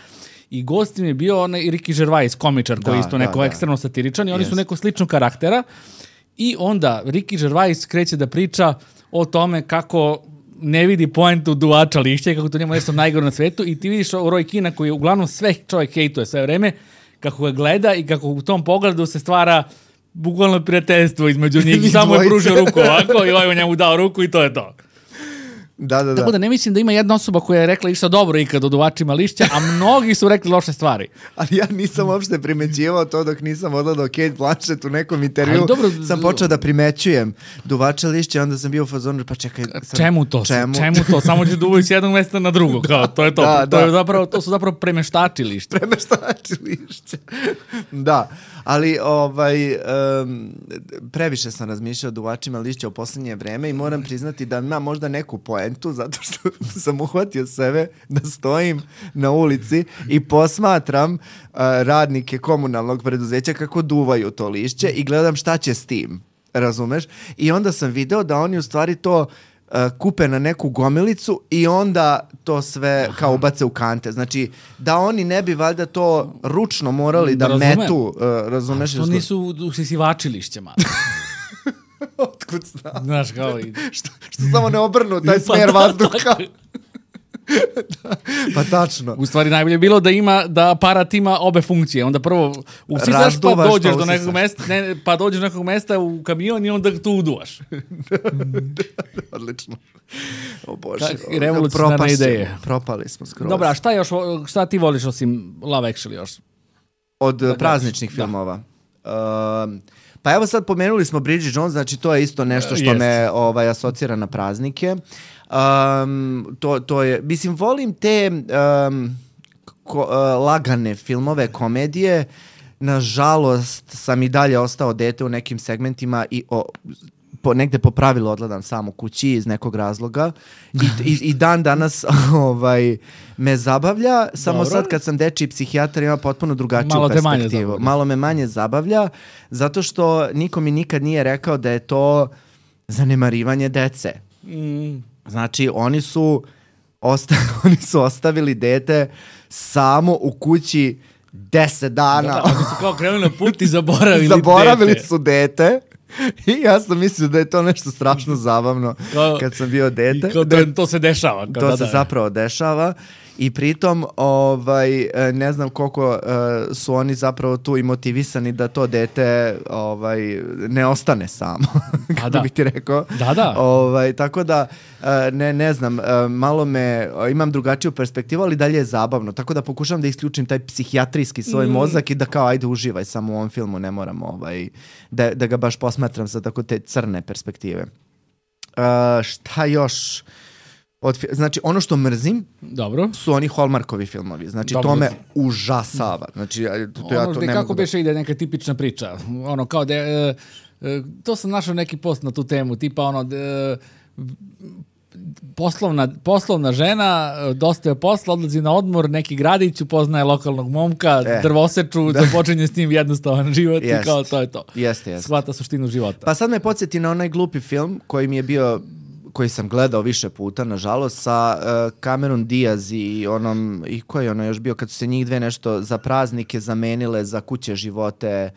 I gostim je bio onaj Ricky Gervais, komičar, koji je isto neko da, ekstremno satiričan i oni yes. su neko slično karaktera. I onda Ricky Gervais kreće da priča o tome kako ne vidi poentu duvača lišća i kako to njemu nešto najgore na svetu i ti vidiš Roy Keana koji uglavnom sve čovjek hejtuje sve vreme, kako ga gleda i kako u tom pogledu se stvara bukvalno prijateljstvo između njih i samo je pružio ruku ovako i ovaj njemu dao ruku i to je to.
Da, da, da.
Tako da ne mislim da ima jedna osoba koja je rekla išta dobro ikad o duvačima lišća, a mnogi su rekli loše stvari.
Ali ja nisam uopšte primećivao to dok nisam odgledao Kate Blanchett u nekom intervju. Dobro, sam počeo da primećujem duvače lišća, onda sam bio u fazonu, pa čekaj. Sam,
čemu to? Čemu? čemu to? Samo ću duvaju s jednog mesta na drugo, kao, to je to. Da, to,
da.
Je zapravo, to su zapravo premeštači lišća.
Premeštači lišća. Da, ali ovaj, um, previše sam razmišljao o duvačima lišća u poslednje vreme i moram priznati da ima možda neku poentu, zato što sam uhvatio sebe da stojim na ulici i posmatram uh, radnike komunalnog preduzeća kako duvaju to lišće i gledam šta će s tim, razumeš? I onda sam video da oni u stvari to uh, kupe na neku gomilicu i onda to sve Aha. kao ubace u kante. Znači, da oni ne bi valjda to ručno morali da, da metu, uh, razumeš?
A to nisu usisivači lišća, malo.
Otkud znam?
Znaš, kao i...
što, što samo ne obrnu taj smer vazduha. da, pa tačno.
U stvari najbolje je bilo da ima da aparat ima obe funkcije. Onda prvo usisaš pa dođeš do nekog mesta, ne, pa dođeš do nekog mesta u kamion i onda tu uduvaš.
Odlično. O Bože.
Revolucionarne ideje.
Propali smo skroz.
Dobra, a šta još, šta ti voliš osim Love Actually još?
Od da, prazničnih da. filmova. Uh, pa evo sad pomenuli smo Bridget Jones, znači to je isto nešto što Jest. me ovaj, asocira na praznike. Um, to, to je, mislim, volim te um, ko, uh, lagane filmove, komedije. Nažalost, sam i dalje ostao dete u nekim segmentima i o, po, negde po pravilu odgledam samo kući iz nekog razloga i, i, i dan danas ovaj, me zabavlja, samo Dobro. sad kad sam dečiji psihijatar ima potpuno drugačiju Malo perspektivu. Malo me manje zabavlja, zato što niko mi nikad nije rekao da je to zanemarivanje dece. Mm. Znači, oni su, osta- oni su ostavili dete samo u kući deset dana.
Da, da, oni su kao krenuli na put i zaboravili,
zaboravili
dete.
su dete. I ja sam mislio da je to nešto strašno zabavno kao, kad sam bio dete.
Kao da, to se dešava. Kao
to
da,
se
da.
zapravo dešava. I pritom ovaj, ne znam koliko uh, su oni zapravo tu i motivisani da to dete ovaj, ne ostane samo. Kako da. bih ti rekao.
Da, da.
Ovaj, tako da, uh, ne, ne znam, uh, malo me, uh, imam drugačiju perspektivu, ali dalje je zabavno. Tako da pokušam da isključim taj psihijatrijski svoj mm. mozak i da kao ajde uživaj samo u ovom filmu, ne moram ovaj, da, da ga baš posmatram sa tako te crne perspektive. Uh, šta još... Od, znači, ono što mrzim
Dobro.
su oni Hallmarkovi filmovi. Znači, Dobro. to me užasava. Znači, to, to ja to ne
kako
mogu
beše
da...
ide neka tipična priča. Ono, kao da e, e, to sam našao neki post na tu temu, tipa ono, de, poslovna, poslovna žena, dosta je posla, odlazi na odmor, neki gradić, upoznaje lokalnog momka, e. drvoseču, da počinje s njim jednostavan život jest. i kao to je to.
Jeste, jeste.
Shvata suštinu života.
Pa sad me podsjeti na onaj glupi film koji mi je bio... koji sam gledao više puta, nažalost, sa uh, Cameron Diaz i onom, i ko je ono još bio, kad su se njih dve nešto za praznike zamenile za kuće živote,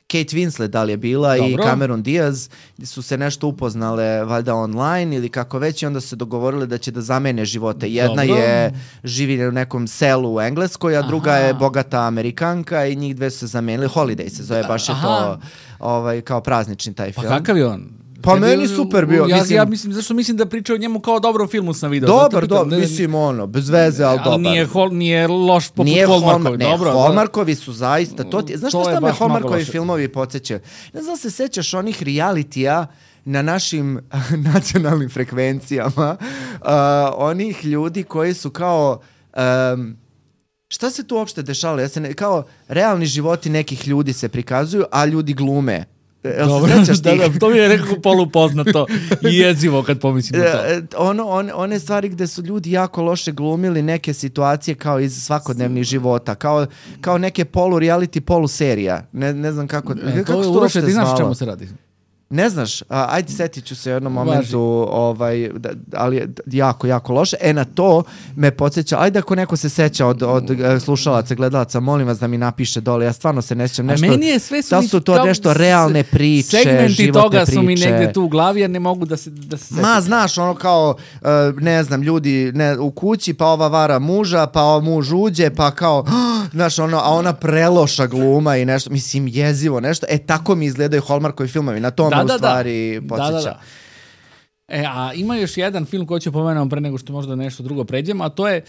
Kate Winslet da li je bila Dobro. i Cameron Diaz su se nešto upoznale valjda online ili kako već i onda su se dogovorile da će da zamene živote. Jedna Dobro. je živi u nekom selu u Engleskoj, a druga Aha. je bogata Amerikanka i njih dve su se zamenili. Holiday se zove, baš je Aha. to ovaj, kao praznični taj film.
Pa kakav je on?
Pa Tebi, meni super bio.
Ja
mislim,
ja mislim, zašto mislim da priča o njemu kao o dobrom filmu sam video.
Dobar, dobar, mislim ono, bez veze, ali dobar.
Nije, hol, nije loš poput
nije
Hallmarkovi.
Ne,
dobro,
Hallmarkovi su zaista, to ti, znaš
to
šta me Hallmarkovi filmovi podsjećaju? Ne znam se sećaš onih realitija na našim nacionalnim frekvencijama, uh, onih ljudi koji su kao... Um, šta se tu uopšte dešalo? Ja se ne, kao realni životi nekih ljudi se prikazuju, a ljudi glume.
Dobro, da, da, to mi je rekao polupoznato i jezivo kad pomislim na to.
Ono, on, one stvari gde su ljudi jako loše glumili neke situacije kao iz svakodnevnih života, kao, kao neke polu reality, polu serija. Ne, ne znam kako,
e,
kako
to,
to
uopšte ti znaš čemu se radi?
Ne znaš, a, ajde setit ću se u jednom momentu, ovaj, da, ali je jako, jako loše. E na to me podsjeća, ajde ako neko se seća od, od slušalaca, gledalaca, molim vas da mi napiše dole, ja stvarno se ne sjećam nešto.
A meni je sve su,
da su to nešto realne priče,
segmenti
životne
toga
priče.
Su mi negde tu u glavi, jer ne mogu da se, da se setim.
Ma, znaš, ono kao, ne znam, ljudi ne, u kući, pa ova vara muža, pa ova muž uđe, pa kao, znaš, ono, a ona preloša gluma i nešto, mislim, jezivo nešto. E, tako mi izgledaju Hallmarkovi filmovi, na tom
Da, da,
u stvari
da.
podsjeća.
Da, da, da. E, a ima još jedan film koji ću pomenuti pre nego što možda nešto drugo pređemo, a to je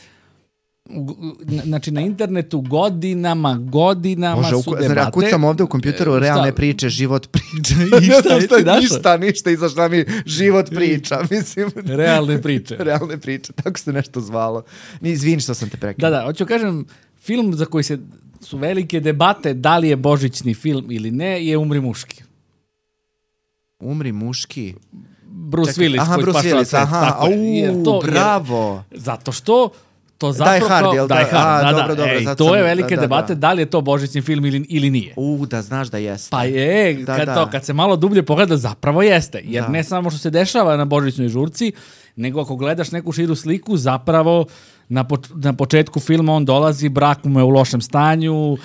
znači na internetu godinama, godinama
Bože,
su
uku,
debate.
Znači, kucam ovde u kompjuteru
e,
realne priče, život priča.
I šta, šta, šta,
ništa, ništa, iza šta mi život priča. Mislim,
realne priče.
Realne priče, tako se nešto zvalo. Izvini što sam te prekao.
Da, da, hoću kažem, film za koji se su velike debate da li je božićni film ili ne, je Umri muški.
Umri muški?
Bruce Čekaj, Willis
aha,
koji
Bruce
spašava
Willis,
svet.
aha,
Tako,
au,
jer to,
bravo.
Jer, zato što to zapravo...
Die Hard, jel da?
Die Hard,
a,
da,
dobro,
da.
dobro,
Ej,
sad
to
sam,
je velike
da,
debate,
da.
da li je to božićni film ili, ili nije.
U, da znaš da jeste.
Pa je,
da,
kad,
da.
To, kad se malo dublje pogleda, zapravo jeste. Jer
da.
ne samo što se dešava na božićnoj žurci, nego ako gledaš neku širu sliku, zapravo Na, poč na početku filma on dolazi, brak mu je u lošem stanju,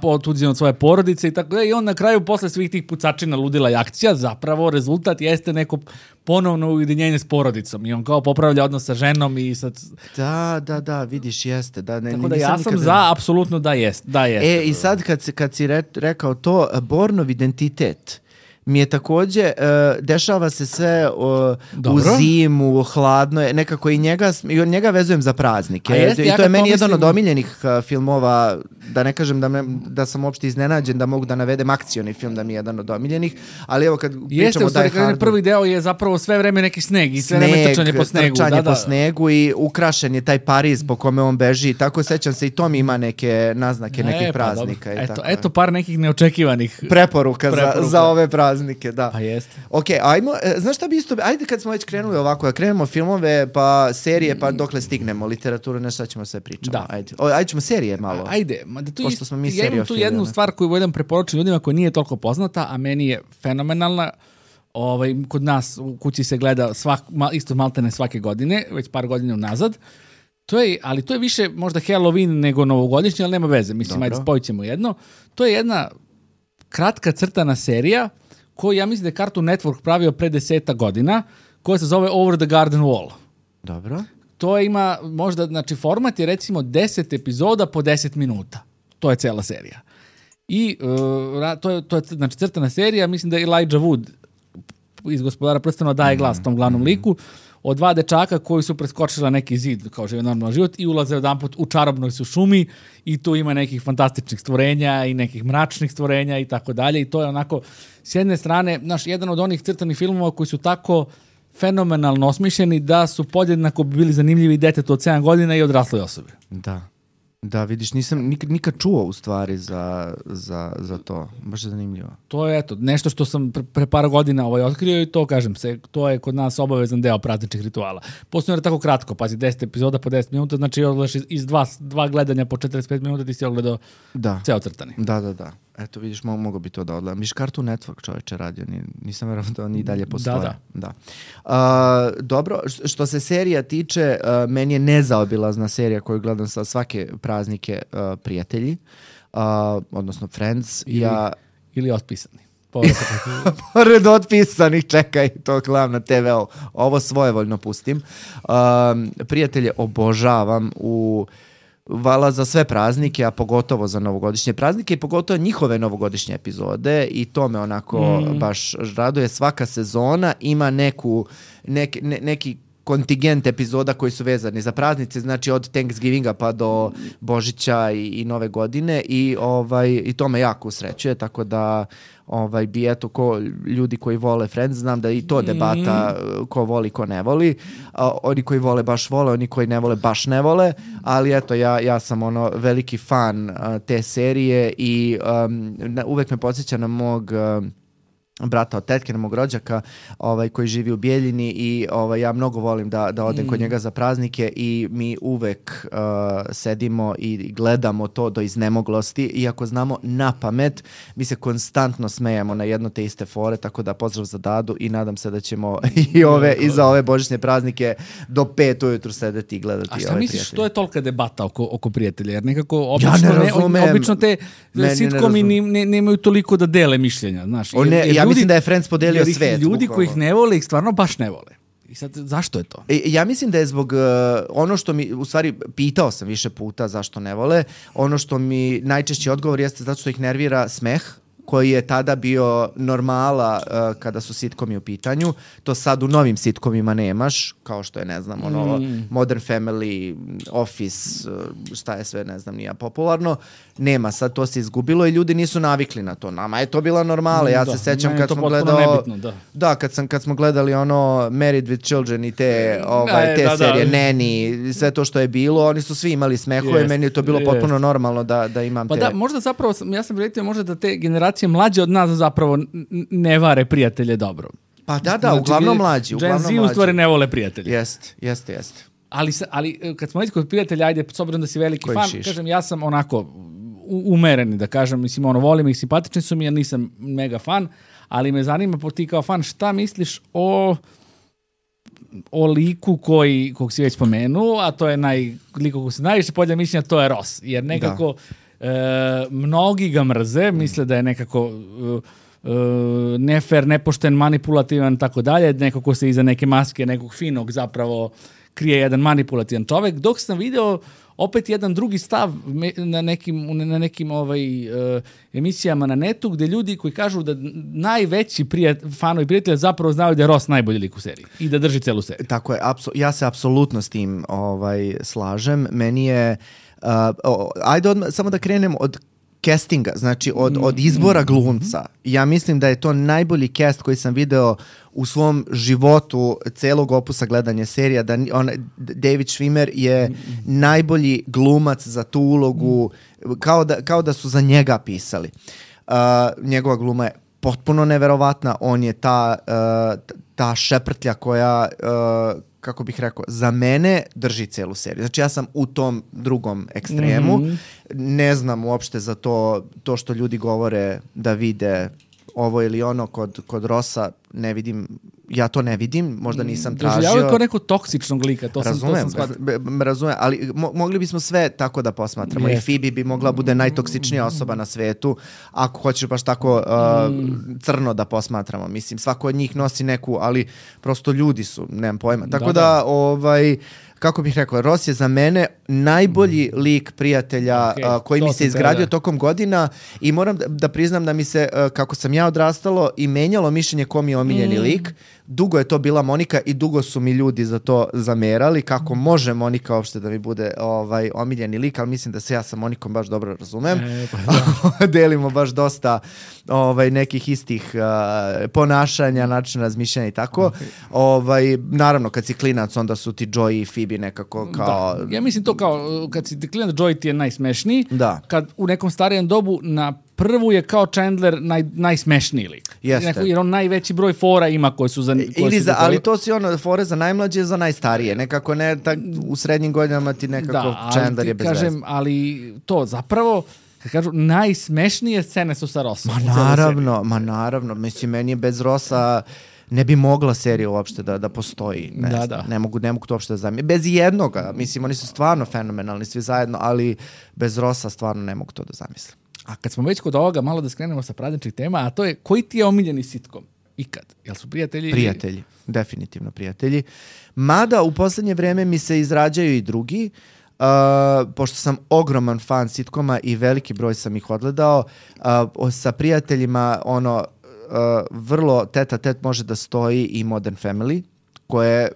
otuđen od svoje porodice i tako da, i on na kraju posle svih tih pucačina, ludila i akcija, zapravo rezultat jeste neko ponovno ujedinjenje s porodicom i on kao popravlja odnos sa ženom i sa...
Da, da, da, vidiš, jeste. Da, ne,
tako da ja sam nikada... za, apsolutno da jest, da jeste.
E, i sad kad, kad si re, rekao to, Bornov identitet mi je takođe, uh, dešava se sve uh, u zimu, hladno je, nekako i njega, i njega vezujem za praznike.
Jeste,
I
ja
to je meni
pomislim...
jedan od omiljenih uh, filmova, da ne kažem da, me, da sam uopšte iznenađen, da mogu da navedem akcioni film da mi je jedan od omiljenih, ali evo kad
jeste,
pričamo o Die Hardu...
Prvi deo je zapravo sve vreme neki sneg i sve
sneg,
vreme trčanje po snegu.
Trčanje
da, da.
po snegu i ukrašen je taj Pariz po kome on beži, tako sećam se i to mi ima neke naznake, nekih
e, pa,
praznika. I
eto,
tako
eto par nekih neočekivanih
preporuka,
preporuka.
Za, za ove praznike, da.
Pa jeste.
Ok, ajmo, znaš šta bi isto, ajde kad smo već krenuli ovako, da krenemo filmove, pa serije, pa dokle stignemo, literaturu, ne šta ćemo sve pričamo.
Da.
Ajde, o, ajde ćemo serije malo.
Ajde, ma da tu
pošto smo mi
ja imam tu jednu stvar koju volim preporučiti ljudima koja nije toliko poznata, a meni je fenomenalna. Ovaj, kod nas u kući se gleda svak, isto maltene svake godine, već par godina unazad. To je, ali to je više možda Halloween nego novogodišnje, ali nema veze. Mislim, dobro, ajde spojit ćemo jedno. To je jedna kratka crtana serija koju ja mislim da je Cartoon Network pravio pre deseta godina, koja se zove Over the Garden Wall.
Dobro.
To ima možda, znači format je recimo deset epizoda po deset minuta. To je cela serija. I uh, to je, to je znači crtana serija, mislim da je Elijah Wood iz Gospodara prstenova daje glas tom glavnom liku, od dva dečaka koji su preskočila neki zid, kao žive normalan život, i ulaze jedanput u čarobnoj su šumi i tu ima nekih fantastičnih stvorenja i nekih mračnih stvorenja i tako dalje. I to je onako, s jedne strane, naš jedan od onih crtanih filmova koji su tako fenomenalno osmišljeni da su podjednako bili zanimljivi detetu od sedam godina i odrasloj osobi.
Da. Da, vidiš, nisam nikad, nikad čuo u stvari za, za, za to. Baš je zanimljivo.
To je eto, nešto što sam pre, pre par godina ovaj, otkrio i to, kažem se, to je kod nas obavezan deo prazničnih rituala. Posledno je tako kratko, pazi, deset epizoda po deset minuta, znači odgledaš iz, iz dva, dva gledanja po četrdeset pet minuta ti si odgledao
da.
Ceo crtani.
Da, da, da. Eto, vidiš, mo mogo bi to da odgledam. Miš Cartoon Network čoveče radio, ni, nisam verovao da oni i dalje postoje.
Da,
da. da. Uh, dobro, što se serija tiče, uh, meni je nezaobilazna serija koju gledam sa svake praznike uh, Prijatelji, uh, odnosno Friends.
Ili,
ja...
ili Otpisani.
Pored Otpisanih, čekaj, to gledam na te ve. Ovo svojevoljno pustim. Uh, Prijatelje obožavam u... vala za sve praznike, a pogotovo za novogodišnje praznike i pogotovo njihove novogodišnje epizode i to me onako mm. baš raduje. Svaka sezona ima neku, nek, ne, neki kontingent epizoda koji su vezani za praznice, znači od Thanksgivinga pa do Božića i, i Nove godine i, ovaj, i to me jako usrećuje, tako da ovaj, bi eto ko ljudi koji vole Friends, znam da i to debata ko voli, ko ne voli. A, oni koji vole baš vole, oni koji ne vole baš ne vole, ali eto ja, ja sam ono veliki fan a, te serije i um, na, uvek me podsjeća na mog um, brata od tetke, na mog rođaka, ovaj, koji živi u Bijeljini i ovaj, ja mnogo volim da, da odem mm. kod njega za praznike i mi uvek uh, sedimo i gledamo to do iznemoglosti, iako znamo na pamet, mi se konstantno smejemo na jedno te iste fore, tako da pozdrav za Dadu i nadam se da ćemo i, ove, i za ove božićne praznike do pet ujutru sedeti i gledati.
A šta
ove
misliš,
prijatelje.
To je tolika debata oko, oko prijatelja, jer nekako obično,
ja ne razumem,
ne, obično te sitcomi ne, ne, nemaju toliko da dele mišljenja, znaš.
Jer, jer ja ljudi, mislim da je Friends podelio svet.
Ljudi koji ih ne vole, ih stvarno baš ne vole. I sad, zašto je to?
E, ja mislim da je zbog uh, ono što mi, u stvari, pitao sam više puta zašto ne vole, ono što mi najčešći odgovor jeste zato što ih nervira smeh, koji je tada bio normala uh, kada su sitcomi u pitanju. To sad u novim sitcomima nemaš, kao što je, ne znam, ono, mm. Modern Family, Office, uh, šta je sve, ne znam, nije popularno. Nema, sad to se izgubilo i ljudi nisu navikli na to. Nama je to bila normala. Ja da, se sećam kad smo gledali
nebitno, da.
Da, kad sam kad smo gledali ono Married with Children i te ovaj te da, serije da. Nanny, sve to što je bilo, oni su svi imali smehove, yes, meni je to bilo yes. potpuno normalno da da imam
pa
te.
Pa da, možda zapravo ja sam primetio možda da te generacije mlađe od nas zapravo ne vare prijatelje dobro.
Pa da, da, znači, uglavnom mlađi, uglavnom
mlađi. Gen Z u stvari ne vole prijatelje.
Jeste, jeste, jeste.
Ali ali kad smo već kod prijatelja, ajde, s obzirom da si veliki
Koji
fan,
šiš?
Kažem, ja sam onako umereni, da kažem, mislim, ono, volim ih, simpatični su mi, ja nisam mega fan, ali me zanima, po ti kao fan, šta misliš o o liku koji, kog si već spomenuo, a to je naj, liko kog se najviše podjelja mišljenja, to je Ross. Jer nekako e, mnogi ga mrze, misle da je nekako e, nefer, nepošten, manipulativan, tako dalje, neko ko se iza neke maske nekog finog zapravo krije jedan manipulativan čovek, dok sam video opet jedan drugi stav na nekim, na nekim ovaj, uh, emisijama na netu, gde ljudi koji kažu da najveći prijat, fanovi prijatelja zapravo znaju da je Ross najbolji lik u seriji i da drži celu seriju.
Tako je, apso- ja se apsolutno s tim ovaj, slažem. Meni je, uh, oh, ajde odmah, samo da krenem od castinga, znači od, od izbora glumca. Ja mislim da je to najbolji cast koji sam video u svom životu celog opusa gledanja serija, da on, David Schwimmer je najbolji glumac za tu ulogu, kao da, kao da su za njega pisali. Uh, njegova gluma je potpuno neverovatna, on je ta, uh, ta šeprtlja koja, uh, kako bih rekao, za mene drži celu seriju. Znači ja sam u tom drugom ekstremu, mm-hmm. ne znam uopšte za to, to što ljudi govore da vide ovo ili ono kod, kod Rossa, ne vidim, ja to ne vidim, možda nisam tražio.
Doživljavaju kao nekog toksičnog lika, to sam,
razumem,
to sam shvatio.
Razumem, ali mo- mogli bismo sve tako da posmatramo. Yes. I Phoebe bi mogla bude najtoksičnija osoba na svetu, ako hoćeš baš tako uh, mm. crno da posmatramo. Mislim, svako od njih nosi neku, ali prosto ljudi su, nemam pojma. Tako da, da, da ovaj... kako bih rekao, Ross je za mene najbolji lik prijatelja okay, uh, koji mi se izgradio tokom godina i moram da, da priznam da mi se, uh, kako sam ja odrastalo, i menjalo mišljenje ko mi je omiljeni mm. lik. Dugo je to bila Monika i dugo su mi ljudi za to zamerali, kako može Monika uopšte da mi bude ovaj, omiljeni lik, ali mislim da se ja sa Monikom baš dobro razumem. E, pa da. Delimo baš dosta ovaj, nekih istih uh, ponašanja, načina razmišljanja i tako. Okay. Ovaj, naravno, kad si klinac, onda su ti Joey i Phoebe nekako kao...
Da. Ja mislim to kao, kad si klinac, Joey ti je najsmešniji.
Da.
Kad u nekom starijem dobu na prvu je kao Chandler naj, najsmešniji lik.
Jeste.
Jer on najveći broj fora ima koji su za... Koji
Ili
su
za, ali to si ono, fore za najmlađe, za najstarije. Nekako ne, tak, u srednjim godinama ti nekako da, Chandler je bez
kažem,
veze.
Ali to zapravo, kad kažu, najsmešnije scene su sa Rossom.
Ma naravno, ma naravno. Mislim, meni je bez Rossa... ne bi mogla serija uopšte da, da postoji. Ne,
da, da.
ne mogu, ne mogu to uopšte da zamijem. Bez jednoga. Mislim, oni su stvarno fenomenalni svi zajedno, ali bez Rossa stvarno ne mogu to da zamislim.
A kad smo već kod ovoga, malo da skrenemo sa prazničnih tema, a to je, koji ti je omiljeni sitkom? Ikad? Jel su prijatelji?
Prijatelji. Definitivno prijatelji. Mada u poslednje vreme mi se izrađaju i drugi, uh, pošto sam ogroman fan sitkoma i veliki broj sam ih odgledao, uh, sa prijateljima ono, Uh, vrlo teta tet može da stoji i Modern Family, koje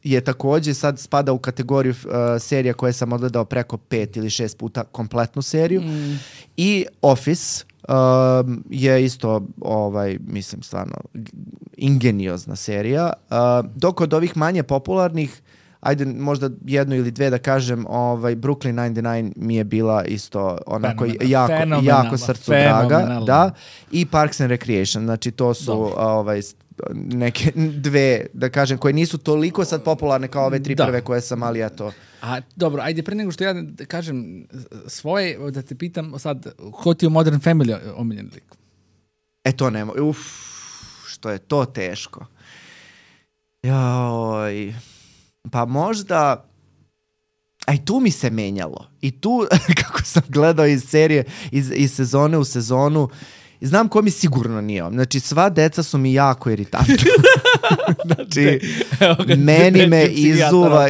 je takođe sad spada u kategoriju uh, serija koje sam odgledao preko pet ili šest puta kompletnu seriju. Mm. I Office uh, je isto, ovaj, mislim, stvarno ingeniozna serija. Uh, dok od ovih manje popularnih, ajde možda jednu ili dve da kažem, ovaj, Brooklyn devedeset devet mi je bila isto onako jako, jako srcu draga. Da. I Parks and Recreation, znači to su ovaj, neke dve, da kažem, koje nisu toliko sad popularne kao ove tri da. prve koje sam, ali eto.
A dobro, ajde pre nego što ja da kažem svoje, da te pitam sad, ko ti je Modern Family omiljen lik?
E to nema, uf, što je to teško. Joj... Pa možda, a i tu mi se menjalo. I tu, kako sam gledao iz serije, iz, iz sezone u sezonu, znam ko mi sigurno nije. Znači, sva deca su mi jako iritantna. Znači, meni me izuva...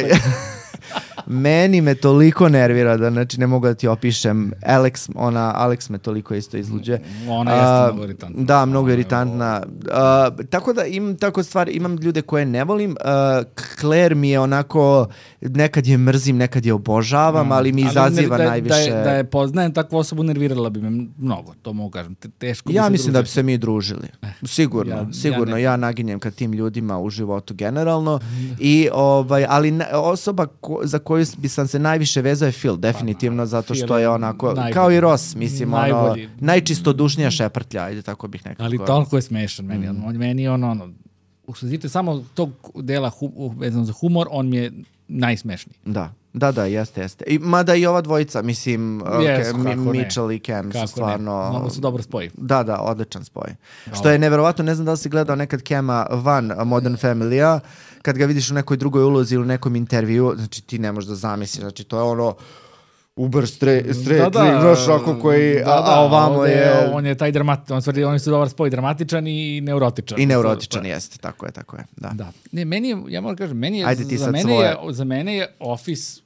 Meni me toliko nervira da, znači, ne mogu da ti opišem. Alex, ona, Alex me toliko isto izluđe.
Ona jeste mnogo iritantna.
Da, mnogo iritantna. Uh, tako da imam tako stvari, imam ljude koje ne volim. Uh, Claire mi je onako, nekad je mrzim, nekad je obožavam, mm. ali mi ali izaziva da, najviše.
Da je, da je poznajem takvu osobu, nervirala bi me mnogo, to mogu kažem. Teško
ja
bi
mislim
družiti.
Da bi se mi družili. Sigurno, ja, sigurno. Ja, ja naginjem ka tim ljudima u životu generalno. I, ovaj, ali osoba ko, za koju bi sam se najviše vezao je Phil, definitivno, zato što je onako, najbolji. Kao i Ross, mislim, ono, najčistodušnija šeprtlja, ajde, tako bih nekako.
Ali toliko je smešan meni, mm. on, meni je ono, ono, usledite samo tog dela hu, vezano za humor, on mi je najsmešniji.
Da, Da, da, jeste, jeste. I, mada i ova dvojica, mislim,
Yes,
uh,
kako ne.
Mitchell i Cam
Kako
su stvarno...
ne. Mnogo su dobro spoji.
Da, da, odličan spoj. Što je neverovatno, ne znam da li si gledao nekad Cama van Modern Family-a, kad ga vidiš u nekoj drugoj ulozi ili u nekom intervju, znači ti ne možeš da zamisliš, znači to je ono uber straight, straight
da, da,
znaš, ako koji,
da,
a,
da,
a ovamo je...
On je taj dramat, on stvari, oni su dobar spoj, dramatičan i neurotičan.
I neurotičan jeste, tako je, tako je, da.
Da. Ne, meni je, ja moram kažem, meni je,
Ajde ti
za,
sad
mene
svoje.
je, za mene je Office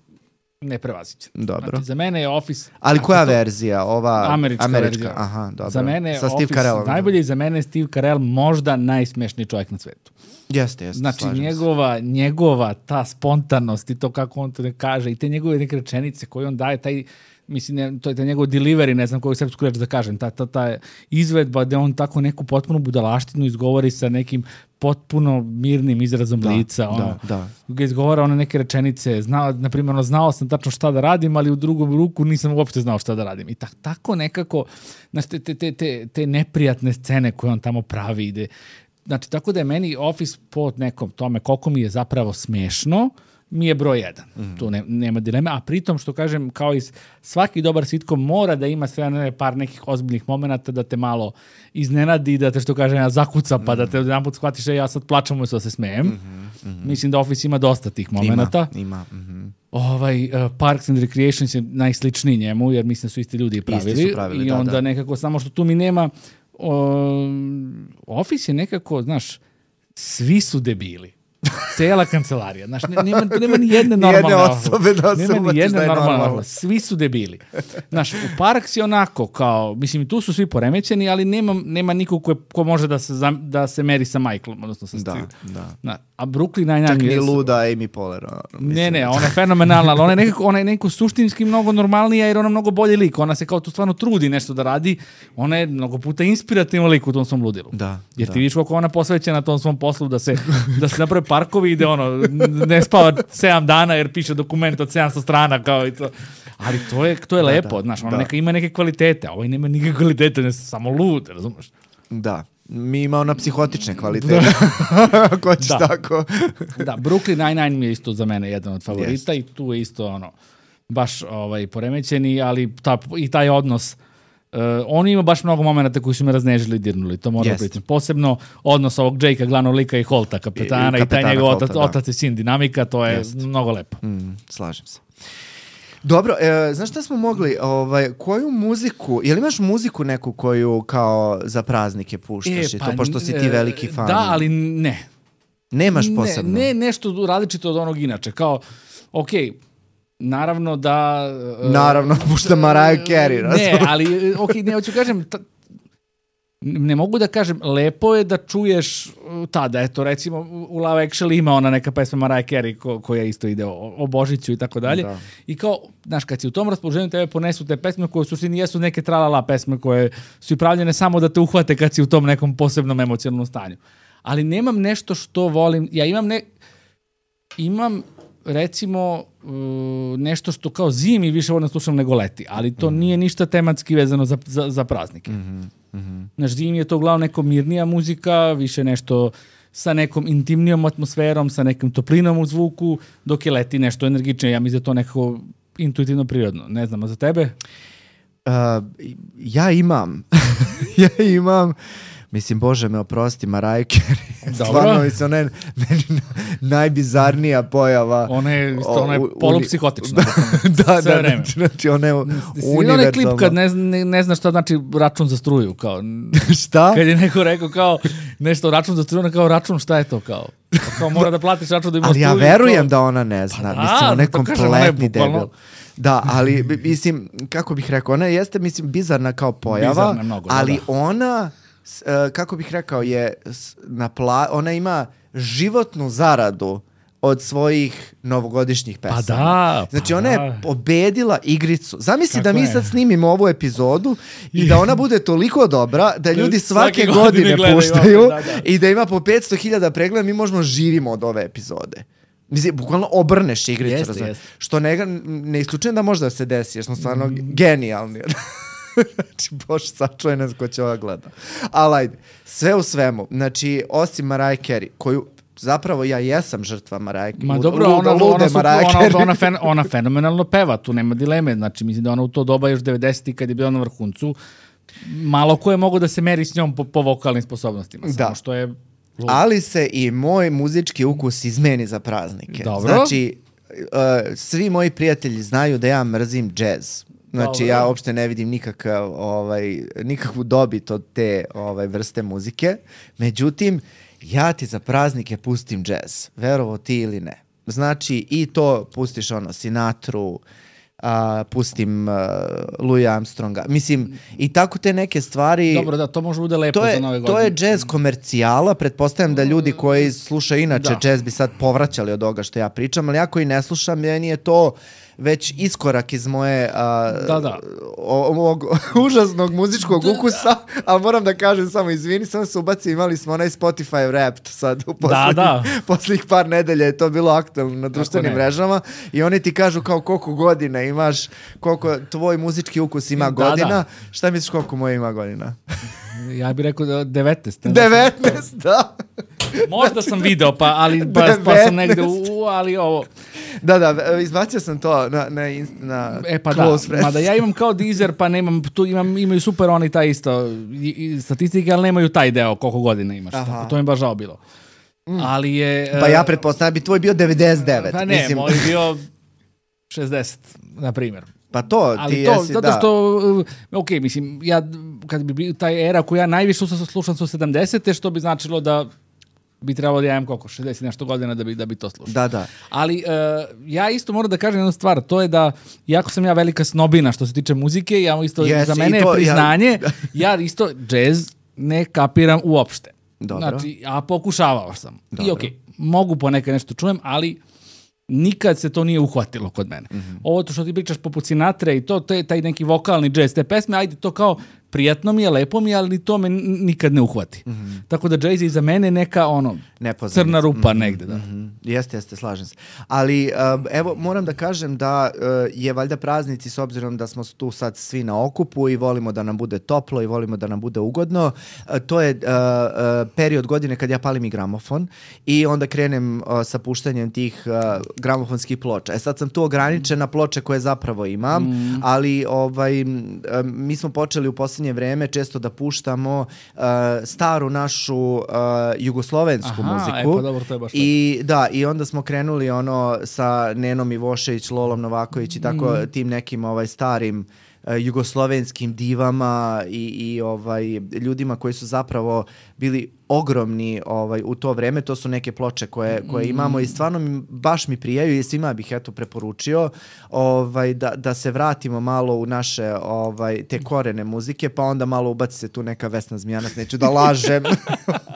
neprevaziđen.
Dobro.
Znači, za mene je Office...
Ali koja
to,
verzija? Ova
Američka,
američka
verzija.
Aha, dobro.
Za mene je
Sa Steve
Office
Carellom.
najbolji i za mene je Steve Carell možda najsmešniji čovjek na svetu.
Jeste, jeste.
Znači,
slažem se.
njegova, njegova ta spontanost i to kako on to ne kaže i te njegove neke rečenice koje on daje, taj, mislim, ne, to je taj njegov delivery, ne znam koju srpsku reč da kažem, ta, ta, ta izvedba da on tako neku potpuno budalaštinu izgovori sa nekim potpuno mirnim izrazom
Da,
lica. Ono,
da, da.
ga izgovara one neke rečenice, znao, na primjer, ono, znao sam tačno šta da radim, ali u drugom ruku nisam uopšte znao šta da radim. I tak, tako nekako, znači, te, te, te, te, te neprijatne scene koje on tamo pravi ide. Znači, tako da je meni Office po nekom tome koliko mi je zapravo smešno, mi je broj jedan. Mm. Tu ne, nema dileme. A pritom, što kažem, kao i svaki dobar sitcom mora da ima sve ne, par nekih ozbiljnih momenata da te malo iznenadi, da te, što kažem, ja zakuca, pa mm. da te jedan put shvatiš, ja sad plačam umjesto da se smejem. Mm-hmm, mm-hmm. Mislim da Office ima dosta tih momenata.
Ima, ima. Mm-hmm.
Ovaj, uh, Parks and Recreations je najsličniji njemu, jer mislim su isti ljudi pravili.
Isti su pravili,
I
da,
onda
da.
nekako, samo što tu mi nema... Um, Office je nekako, znaš, svi su debili. Cela kancelarija. Znaš, ne, nema, nema ni jedne normalne
Nijedne osobe da se
nema ni
uvatiš
jedne
da je
normalne
normalno.
osobe. Svi su debili. Znaš, u Parks je onako kao, mislim, tu su svi poremećeni, ali nema, nema nikog ko, ko može da se, zam, da se meri sa Michaelom, odnosno sa
Da,
Steve.
da.
Na, a Brooklyn Nine-Nine
Čak
je...
ni luda Amy Poehler. Ono,
Ne, ne, ona je fenomenalna, ali ona je nekako, ona je nekako suštinski mnogo normalnija jer ona je mnogo bolji lik. Ona se kao tu stvarno trudi nešto da radi. Ona je mnogo puta inspirativna lik u tom svom ludilu.
Da,
Jer
da.
ti vidiš kako ona posvećena tom svom poslu da se, da se naprave parkovi i da ono, ne spava sedam dana jer piše dokument od sedamsto strana kao i to. Ali to je, to je
Da,
lepo,
da,
znaš, ona
da.
neka ima neke kvalitete, a ovaj nema nikakve kvalitete, ne samo lud, razumeš?
Da. Mi imamo na psihotične kvalitete. Ako ćeš
Da.
tako.
Da, Brooklyn Nine-Nine mi je isto za mene jedan od favorita i tu je isto ono, baš ovaj, poremećeni, ali ta, i taj odnos, uh, on ima baš mnogo momenta koji su me raznežili i dirnuli, to moram
Jest.
priznati. Posebno odnos ovog Jakea, glavnog lika i Holta, kapetana, i,
I- i
i taj
kapetana
njegov
Holta,
otac,
da.
otac i sin dinamika, to je
Jest.
mnogo lepo.
Mm, slažem se. Dobro, e, znaš šta smo mogli, ovaj, koju muziku, jel imaš muziku neku koju kao za praznike puštaš i to, pošto si ti
e,
veliki fan?
Da, ali ne.
Nemaš posebno?
Ne, ne nešto različito od onog inače, kao, okej, naravno da... e,
Naravno, pušta Mariah Carey.
Ne,
razumeš?
ali, ok, ne, hoću kažem, ta, ne mogu da kažem, lepo je da čuješ uh, tada, eto, recimo, u Love Actually ima ona neka pesma Mariah Carey ko, koja isto ide o, o Božiću i tako dalje.
Da.
I kao, znaš, kad si u tom raspoloženju, tebe ponesu te pesme koje u suštini jesu neke tralala pesme koje su i pravljene samo da te uhvate kad si u tom nekom posebnom emocionalnom stanju. Ali nemam nešto što volim, ja imam ne... Imam recimo uh, nešto što kao zimi više volim da slušam nego leti, ali to mm. nije ništa tematski vezano za, za, za praznike.
Mm-hmm. Mm-hmm.
Znaš, zimi je to uglavnom neko mirnija muzika, više nešto sa nekom intimnijom atmosferom, sa nekim toplinom u zvuku, dok je leti nešto energičnije. Ja mislim da je to nekako intuitivno prirodno. Ne znam, a za tebe?
Uh, ja imam. ja imam. Mislim, Bože me oprosti, Mariah Carey. Stvarno, mislim, ona je meni na, najbizarnija pojava.
Ona je, isto, ona je
u- u-
polupsihotična.
da,
sve
da,
vreme.
znači ona je
Vidio onaj klip
univerzalna.
kad ne, ne, ne zna šta znači račun za struju, kao...
Šta?
Kad je neko rekao kao nešto račun za struju, ona kao račun, šta je to kao? Pa kao mora da platiš račun da ima
Ali ja
struju,
verujem
kao-
da ona ne zna.
Pa da,
mislim, ona je
zato kažem, ona je
kompletni
bukvalno-
debil. Da, ali bi- mislim, kako bih rekao, ona jeste, mislim, bizarna kao pojava,
Bizarna mnogo, da,
ali
da.
ona, s- e, kako bih rekao, je s- na pla, ona ima životnu zaradu od svojih novogodišnjih pesama.
da, pa
Znači, ona je
da.
pobedila igricu. Zamisli
Kako
da mi
ne?
sad snimimo ovu epizodu i da ona bude toliko dobra da ljudi svake,
svake
godine,
godine gledaju,
puštaju
da, da.
i da ima po petsto hiljada pregleda, mi možemo živimo od ove epizode. Mislim, bukvalno obrneš igricu.
Jeste,
razumeš?
jeste.
Što ne, ne isključujem da možda se desi, jer smo stvarno genijalni. Znači, Bože, sačuvaj nas ko će ova gleda. Ali ajde, sve u svemu, znači, osim Mariah Carey, koju zapravo ja jesam žrtva Mariah
Ma dobro,
luda,
ona,
lude
ona, su,
Mariah
ona,
Carey.
ona, fen, ona fenomenalno peva, tu nema dileme, znači mislim da ona u to doba još devedesetih kad je bila na vrhuncu, malo ko je mogo da se meri s njom po, po vokalnim sposobnostima,
Da.
samo što je lud.
Ali se i moj muzički ukus izmeni za praznike.
Dobro.
Znači, uh, svi moji prijatelji znaju da ja mrzim džez. Znači,
Dobro.
ja uopšte ne vidim nikakav, ovaj, nikakvu dobit od te ovaj, vrste muzike. Međutim, ja ti za praznike pustim džez. Verovo ti ili ne. Znači, i to pustiš ono, Sinatru, a, pustim uh, Louis Armstronga. Mislim, i tako te neke stvari...
Dobro, da, to može bude lepo
To je,
za nove godine.
to je džez komercijala, pretpostavljam da ljudi koji slušaju inače
Da.
džez bi sad povraćali od ovoga što ja pričam, ali ja koji ne slušam, meni je to već iskorak iz moje a,
Da, da.
o- ovog užasnog muzičkog ukusa, ali moram da kažem samo, izvini, samo se ubaci, imali smo onaj Spotify Wrapped sad u poslednjih,
da.
poslednjih par nedelja je to bilo aktualno na društvenim
ne.
mrežama i oni ti kažu kao koliko godina imaš, koliko tvoj muzički ukus ima
Da,
godina,
da.
šta misliš koliko moje ima godina?
Ja bih rekao da devetnaest. ne?
devetnaest, da.
Možda sam video, pa, ali, pa, pa sam negde u, ali ovo...
Da, da, izbacio sam to na, na, inst- na
E pa da,
Close Friends.
mada ja imam kao Deezer, pa nemam, tu imam, imaju super oni taj isto i, i statistike, ali nemaju taj deo koliko godina imaš.
Aha.
Tako, to mi je baš žao bilo. Ali je...
Pa
e,
ja pretpostavljam da bi tvoj bio devedeset devet.
Pa ne,
Mislim,
moj je bio šezdeset, na primjer.
pa to,
Ali
ti
to,
jesi,
zato
da.
što, uh, ok, mislim, ja, kad bi bio taj era koju ja najviše slušam, slušam su sedamdesete, što bi značilo da bi trebalo da ja imam koliko, šezdeset i nešto godina da bi, da bi to slušao.
Da, da.
Ali uh, ja isto moram da kažem jednu stvar, to je da, iako sam ja velika snobina što se tiče muzike, ja isto,
Jesi,
za
i
mene
to,
je priznanje,
ja-
ja, isto džez ne kapiram uopšte.
Dobro.
Znači, a pokušavao sam.
Dobro.
I ok, mogu ponekad nešto čujem, ali nikad se to nije uhvatilo kod mene.
Mhm.
Ovo to što ti pričaš poput Sinatre i to, to je taj neki vokalni džez, te pesme, ajde to kao prijatno mi je, lepo mi je, ali to me n- nikad ne uhvati. Tako da džez je za mene neka ono
Nepoznanica.
crna rupa negde. Da.
Mhm. Jeste, jeste, slažem se. Ali um, evo, moram da kažem da uh, je valjda praznici, s obzirom da smo tu sad svi na okupu i volimo da nam bude toplo i volimo da nam bude ugodno, uh, to je uh, uh, period godine kad ja palim i gramofon i onda krenem uh, sa puštanjem tih uh, gramofonskih ploča. E sad sam tu ograničen na ploče koje zapravo imam,
Mm.
ali ovaj, m, um, mi smo počeli u posljednje vreme često da puštamo uh, staru našu uh, jugoslovensku
Aha,
muziku.
e, pa dobro, to je baš
I da, i onda smo krenuli ono sa Nenom Ivošević, Lolom Novaković i tako
Mm.
tim nekim ovaj starim e, jugoslovenskim divama i, i ovaj ljudima koji su zapravo bili ogromni ovaj u to vreme. To su neke ploče koje, koje imamo i stvarno mi, baš mi prijaju i svima bih eto preporučio ovaj da, da se vratimo malo u naše ovaj te korene muzike, pa onda malo ubaci se tu neka Vesna Zmijanac, neću da lažem,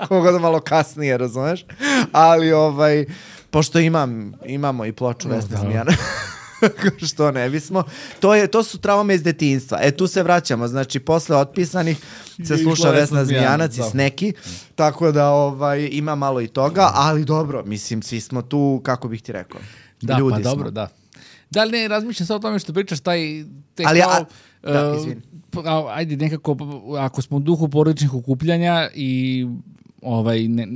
koga da malo kasnije, razumeš? Ali ovaj pošto imam imamo i ploču Vesne
da.
Zmijanac. Što ne bismo. To, je, to su traume iz detinjstva. E, tu se vraćamo. Znači, posle otpisanih se
Je
sluša
išla
Vesna
Vesna
Zmijanac
Zmijanac,
i Sneki. Tako da ovaj, ima malo i toga, ali dobro, mislim, svi smo tu, kako bih ti rekao,
Da,
ljudi
pa
smo.
dobro, da. Da li ne razmišljam sad o tome što pričaš, taj... Te
Ali,
kao,
a- da,
uh,
izvini.
a, ajde, nekako, ako smo u duhu porodičnih okupljanja i ovaj, ne,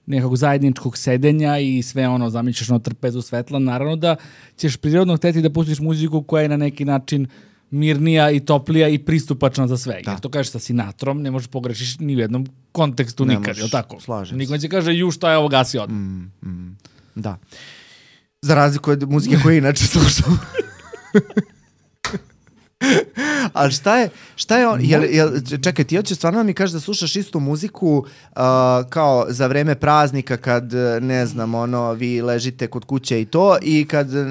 nekog zajedničkog sedenja i sve ono, zamišljaš na trpezu svetla, naravno da ćeš prirodno hteti da pustiš muziku koja je na neki način mirnija i toplija i pristupačna za sve.
Da.
Jer to kažeš sa Sinatrom, ne možeš pogrešiš ni u jednom kontekstu
Ne
nikad,
možeš,
je li tako?
slažem
Niko će kaže, ju, šta je ovo gasi odmah.
Mm, mm, da. Za razliku od muzike koje inače slušam. Ali šta je, šta je on, jel, jel, čekaj, ti hoćeš stvarno da mi kažeš da slušaš istu muziku uh, kao za vreme praznika kad, ne znam, ono, vi ležite kod kuće i to i kad uh,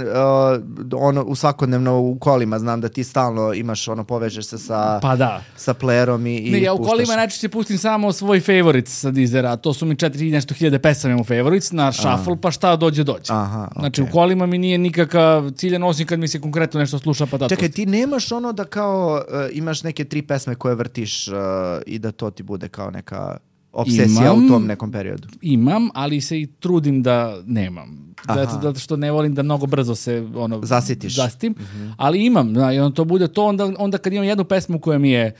ono, u svakodnevno u kolima znam da ti stalno imaš, ono, povežeš se sa,
Pa da.
sa playerom i, i
Ne, ja u
puštaš.
kolima najčešće pustim samo svoj favorites sa Deezera, to su mi četiri i nešto hiljade pesama imam u favorites, na shuffle, pa šta dođe, dođe.
Aha,
Znači,
okej.
u kolima mi nije nikakav ciljan, osim kad mi se konkretno nešto sluša, pa da
Čekaj,
to...
ti nemaš ono da kao uh, imaš neke tri pesme koje vrtiš uh, i da to ti bude kao neka obsesija
Imam.
u tom nekom periodu?
Imam, ali se i trudim da nemam.
Aha.
Zato, zato što ne volim da mnogo brzo se ono,
Zasitiš.
zasitim, ali imam, da, i onda to bude to, onda, onda kad imam jednu pesmu koja mi je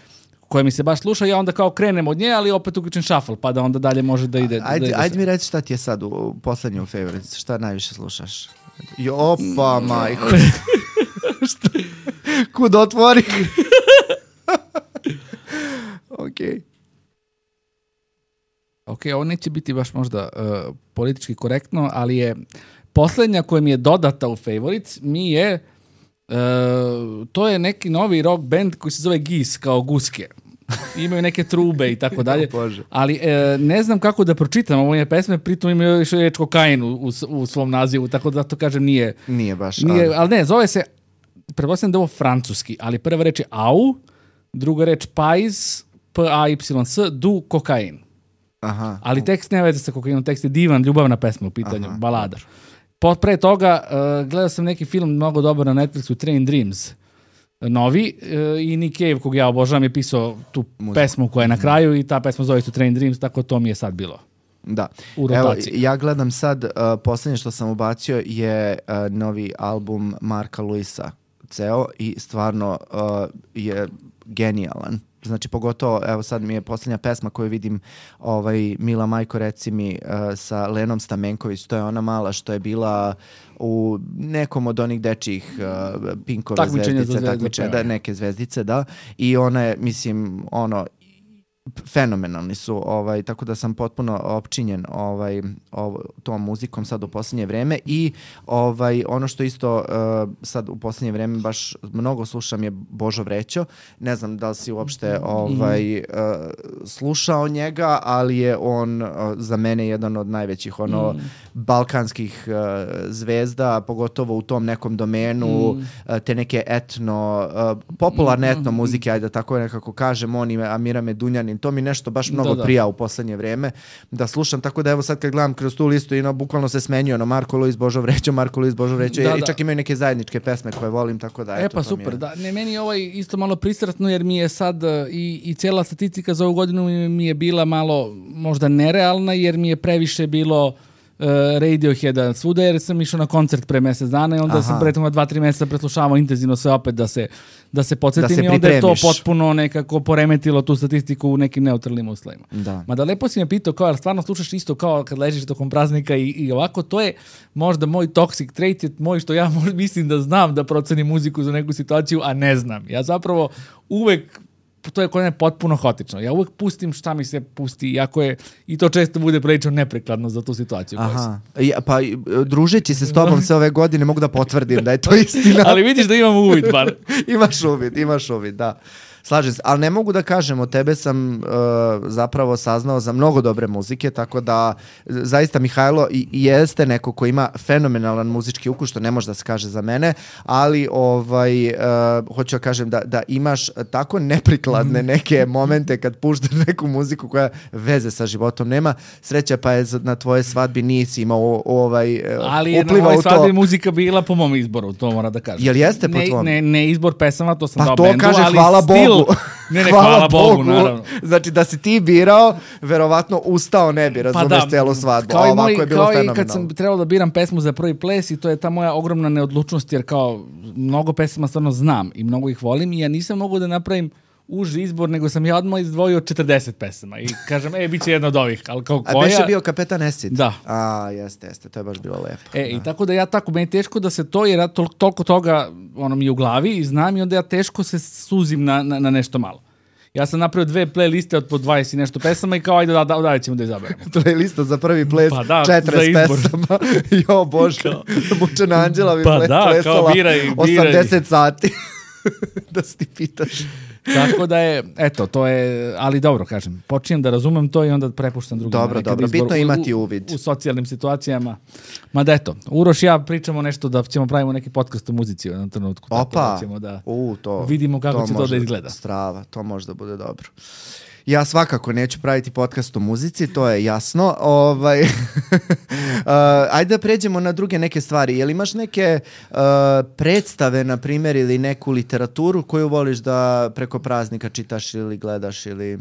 koja mi se baš sluša, ja onda kao krenem od nje, ali opet uključim shuffle, pa da onda dalje može da ide.
Ajde,
da ide
ajde mi reći šta ti je sad u poslednjem favorites, šta najviše slušaš? Jo, opa, majko. Kud otvori? Okej.
Ok, ovo neće biti baš možda uh, politički korektno, ali je poslednja koja mi je dodata u favorites mi je uh, to je neki novi rock band koji se zove Gis, kao guske. Imaju neke trube i tako dalje. Ali uh, ne znam kako da pročitam ove pesme, pritom imaju još reč kokain u, u, u svom nazivu, tako da to kažem nije...
Nije baš.
Nije,
ali...
ali ne, zove se, pretpostavljam da je ovo francuski, ali prva reč je au, druga reč pais, P A Y S, du kokain.
Aha.
Ali tekst nema veze sa kokainom, tekst je divan, ljubavna pesma u pitanju, aha, balada. Po, pre toga uh, gledao sam neki film mnogo dobar na Netflixu, Train Dreams, novi, uh, i Nick Cave, kog ja obožavam, je pisao tu muziku, pesmu koja je na kraju i ta pesma zove se Train Dreams, tako to mi je sad bilo.
Da.
U rotaciji.
Evo, ja gledam sad, uh, posljednje što sam ubacio je uh, novi album Marka Luisa, ceo, i stvarno uh, je genijalan. Znači, pogotovo, evo sad mi je posljednja pesma koju vidim, ovaj, Mila Majko, reci mi, uh, sa Lenom Stamenković, to je ona mala što je bila u nekom od onih dečijih uh, Pinkove
takmičenja
zvezdice, takmičenja, da, neke zvezdice, da, i ona je, mislim, ono, fenomenalni su, ovaj, tako da sam potpuno opčinjen ovaj, ovo, tom muzikom sad u posljednje vreme i ovaj, ono što isto uh, sad u posljednje vreme baš mnogo slušam je Božo Vrećo. Ne znam da li si uopšte ovaj, uh, slušao njega, ali je on uh, za mene jedan od najvećih ono, mm. balkanskih uh, zvezda, pogotovo u tom nekom domenu, mm. uh, te neke etno, uh, popularne etno muzike, ajde tako nekako kažem, on i Amira Medunjanin, to mi nešto baš mnogo da, da. prija u poslednje vreme da slušam, tako da evo sad kad gledam kroz tu listu i no, bukvalno se smenjuje ono Marko Luis, Božo Vrećo, Marko Luis, Božo Vrećo, da, i čak da. imaju neke zajedničke pesme koje volim, tako da.
E
eto,
pa super, je... da, ne, meni je ovaj isto malo pristratno jer mi je sad i, i cijela statistika za ovu godinu mi je bila malo možda nerealna jer mi je previše bilo Uh, Radioheada svuda jer sam išao na koncert pre mjesec dana i onda Aha. sam pre toga dva, tri mjeseca preslušavao intenzivno sve opet da se, da se podsjetim da se i onda je to potpuno nekako poremetilo tu statistiku u nekim neutralnim uslovima.
Da.
Mada lepo si me pitao kao, stvarno slušaš isto kao kad ležiš tokom praznika i, i ovako, to je možda moj toxic trait, je moj što ja možda mislim da znam da procenim muziku za neku situaciju, a ne znam. Ja zapravo uvek to je kod mene potpuno haotično. Ja uvek pustim šta mi se pusti, iako je, i to često bude prilično neprekladno za tu situaciju.
Aha. Ja, pa družeći se s tobom sve ove godine mogu da potvrdim da je to istina.
Ali vidiš da imam uvid, bar.
imaš uvid, imaš uvid, da. Slažem se, ali ne mogu da kažem, od tebe sam uh, zapravo saznao za mnogo dobre muzike, tako da zaista Mihajlo i, i jeste neko ko ima fenomenalan muzički ukus, što ne može da se kaže za mene, ali ovaj, uh, hoću da kažem da, da imaš tako neprikladne neke momente kad puštaš neku muziku koja veze sa životom nema. Sreća pa je na tvoje svadbi nisi imao ovaj,
ali je na mojoj svadbi muzika bila po mom izboru, to mora da kažem.
Jel jeste po
ne,
tvom?
Ne, ne izbor pesama, to sam
pa
dao
to
bendu,
kaže,
ali
hvala
stil,
Bogu.
Ne, ne, hvala, hvala Bogu, Bogu, naravno.
Znači da si ti birao, verovatno ustao ne bi, razumeš, pa da, celu svadbu.
Kao,
a
i, moj,
je bilo
kao i kad sam trebao da biram pesmu za prvi ples i to je ta moja ogromna neodlučnost jer kao mnogo pesama stvarno znam i mnogo ih volim i ja nisam mogu da napravim uži izbor, nego sam ja odmah izdvojio četrdeset pesama i kažem, e, bit će jedna od ovih, ali kao koja...
A beše bio Kapetan Esit?
Da.
A, jeste, jeste, to je baš bilo lepo.
E,
da.
i tako da ja tako, meni je teško da se to, jer ja tol, toliko toga ono mi je u glavi i znam i onda ja teško se suzim na, na, na nešto malo. Ja sam napravio dve playliste od po dvadeset i nešto pesama i kao ajde da, da, da ćemo da izaberemo.
Playlista za prvi ples,
pa da,
četrdeset pesama. Jo, Bože, Mučena Anđela bi
pa
ples,
da,
plesala
biraj, biraj.
osamdeset sati. Da se ti pitaš.
Tako da je, eto, to je, ali dobro, kažem, počinjem da razumem to i onda prepuštam drugim.
Dobro, dobro, bitno je imati uvid.
U, u socijalnim situacijama. Ma da eto, Uroš i ja pričamo nešto da ćemo pravimo neki podcast o muzici u jednom trenutku.
Opa,
tako da ćemo da
u, to,
vidimo kako
to
će to da izgleda.
Strava, to može da bude dobro. Ja svakako neću praviti podcast o muzici, to je jasno. Ovaj, uh, ajde da pređemo na druge neke stvari. Jel imaš neke uh, predstave, na primjer, ili neku literaturu koju voliš da preko praznika čitaš ili gledaš ili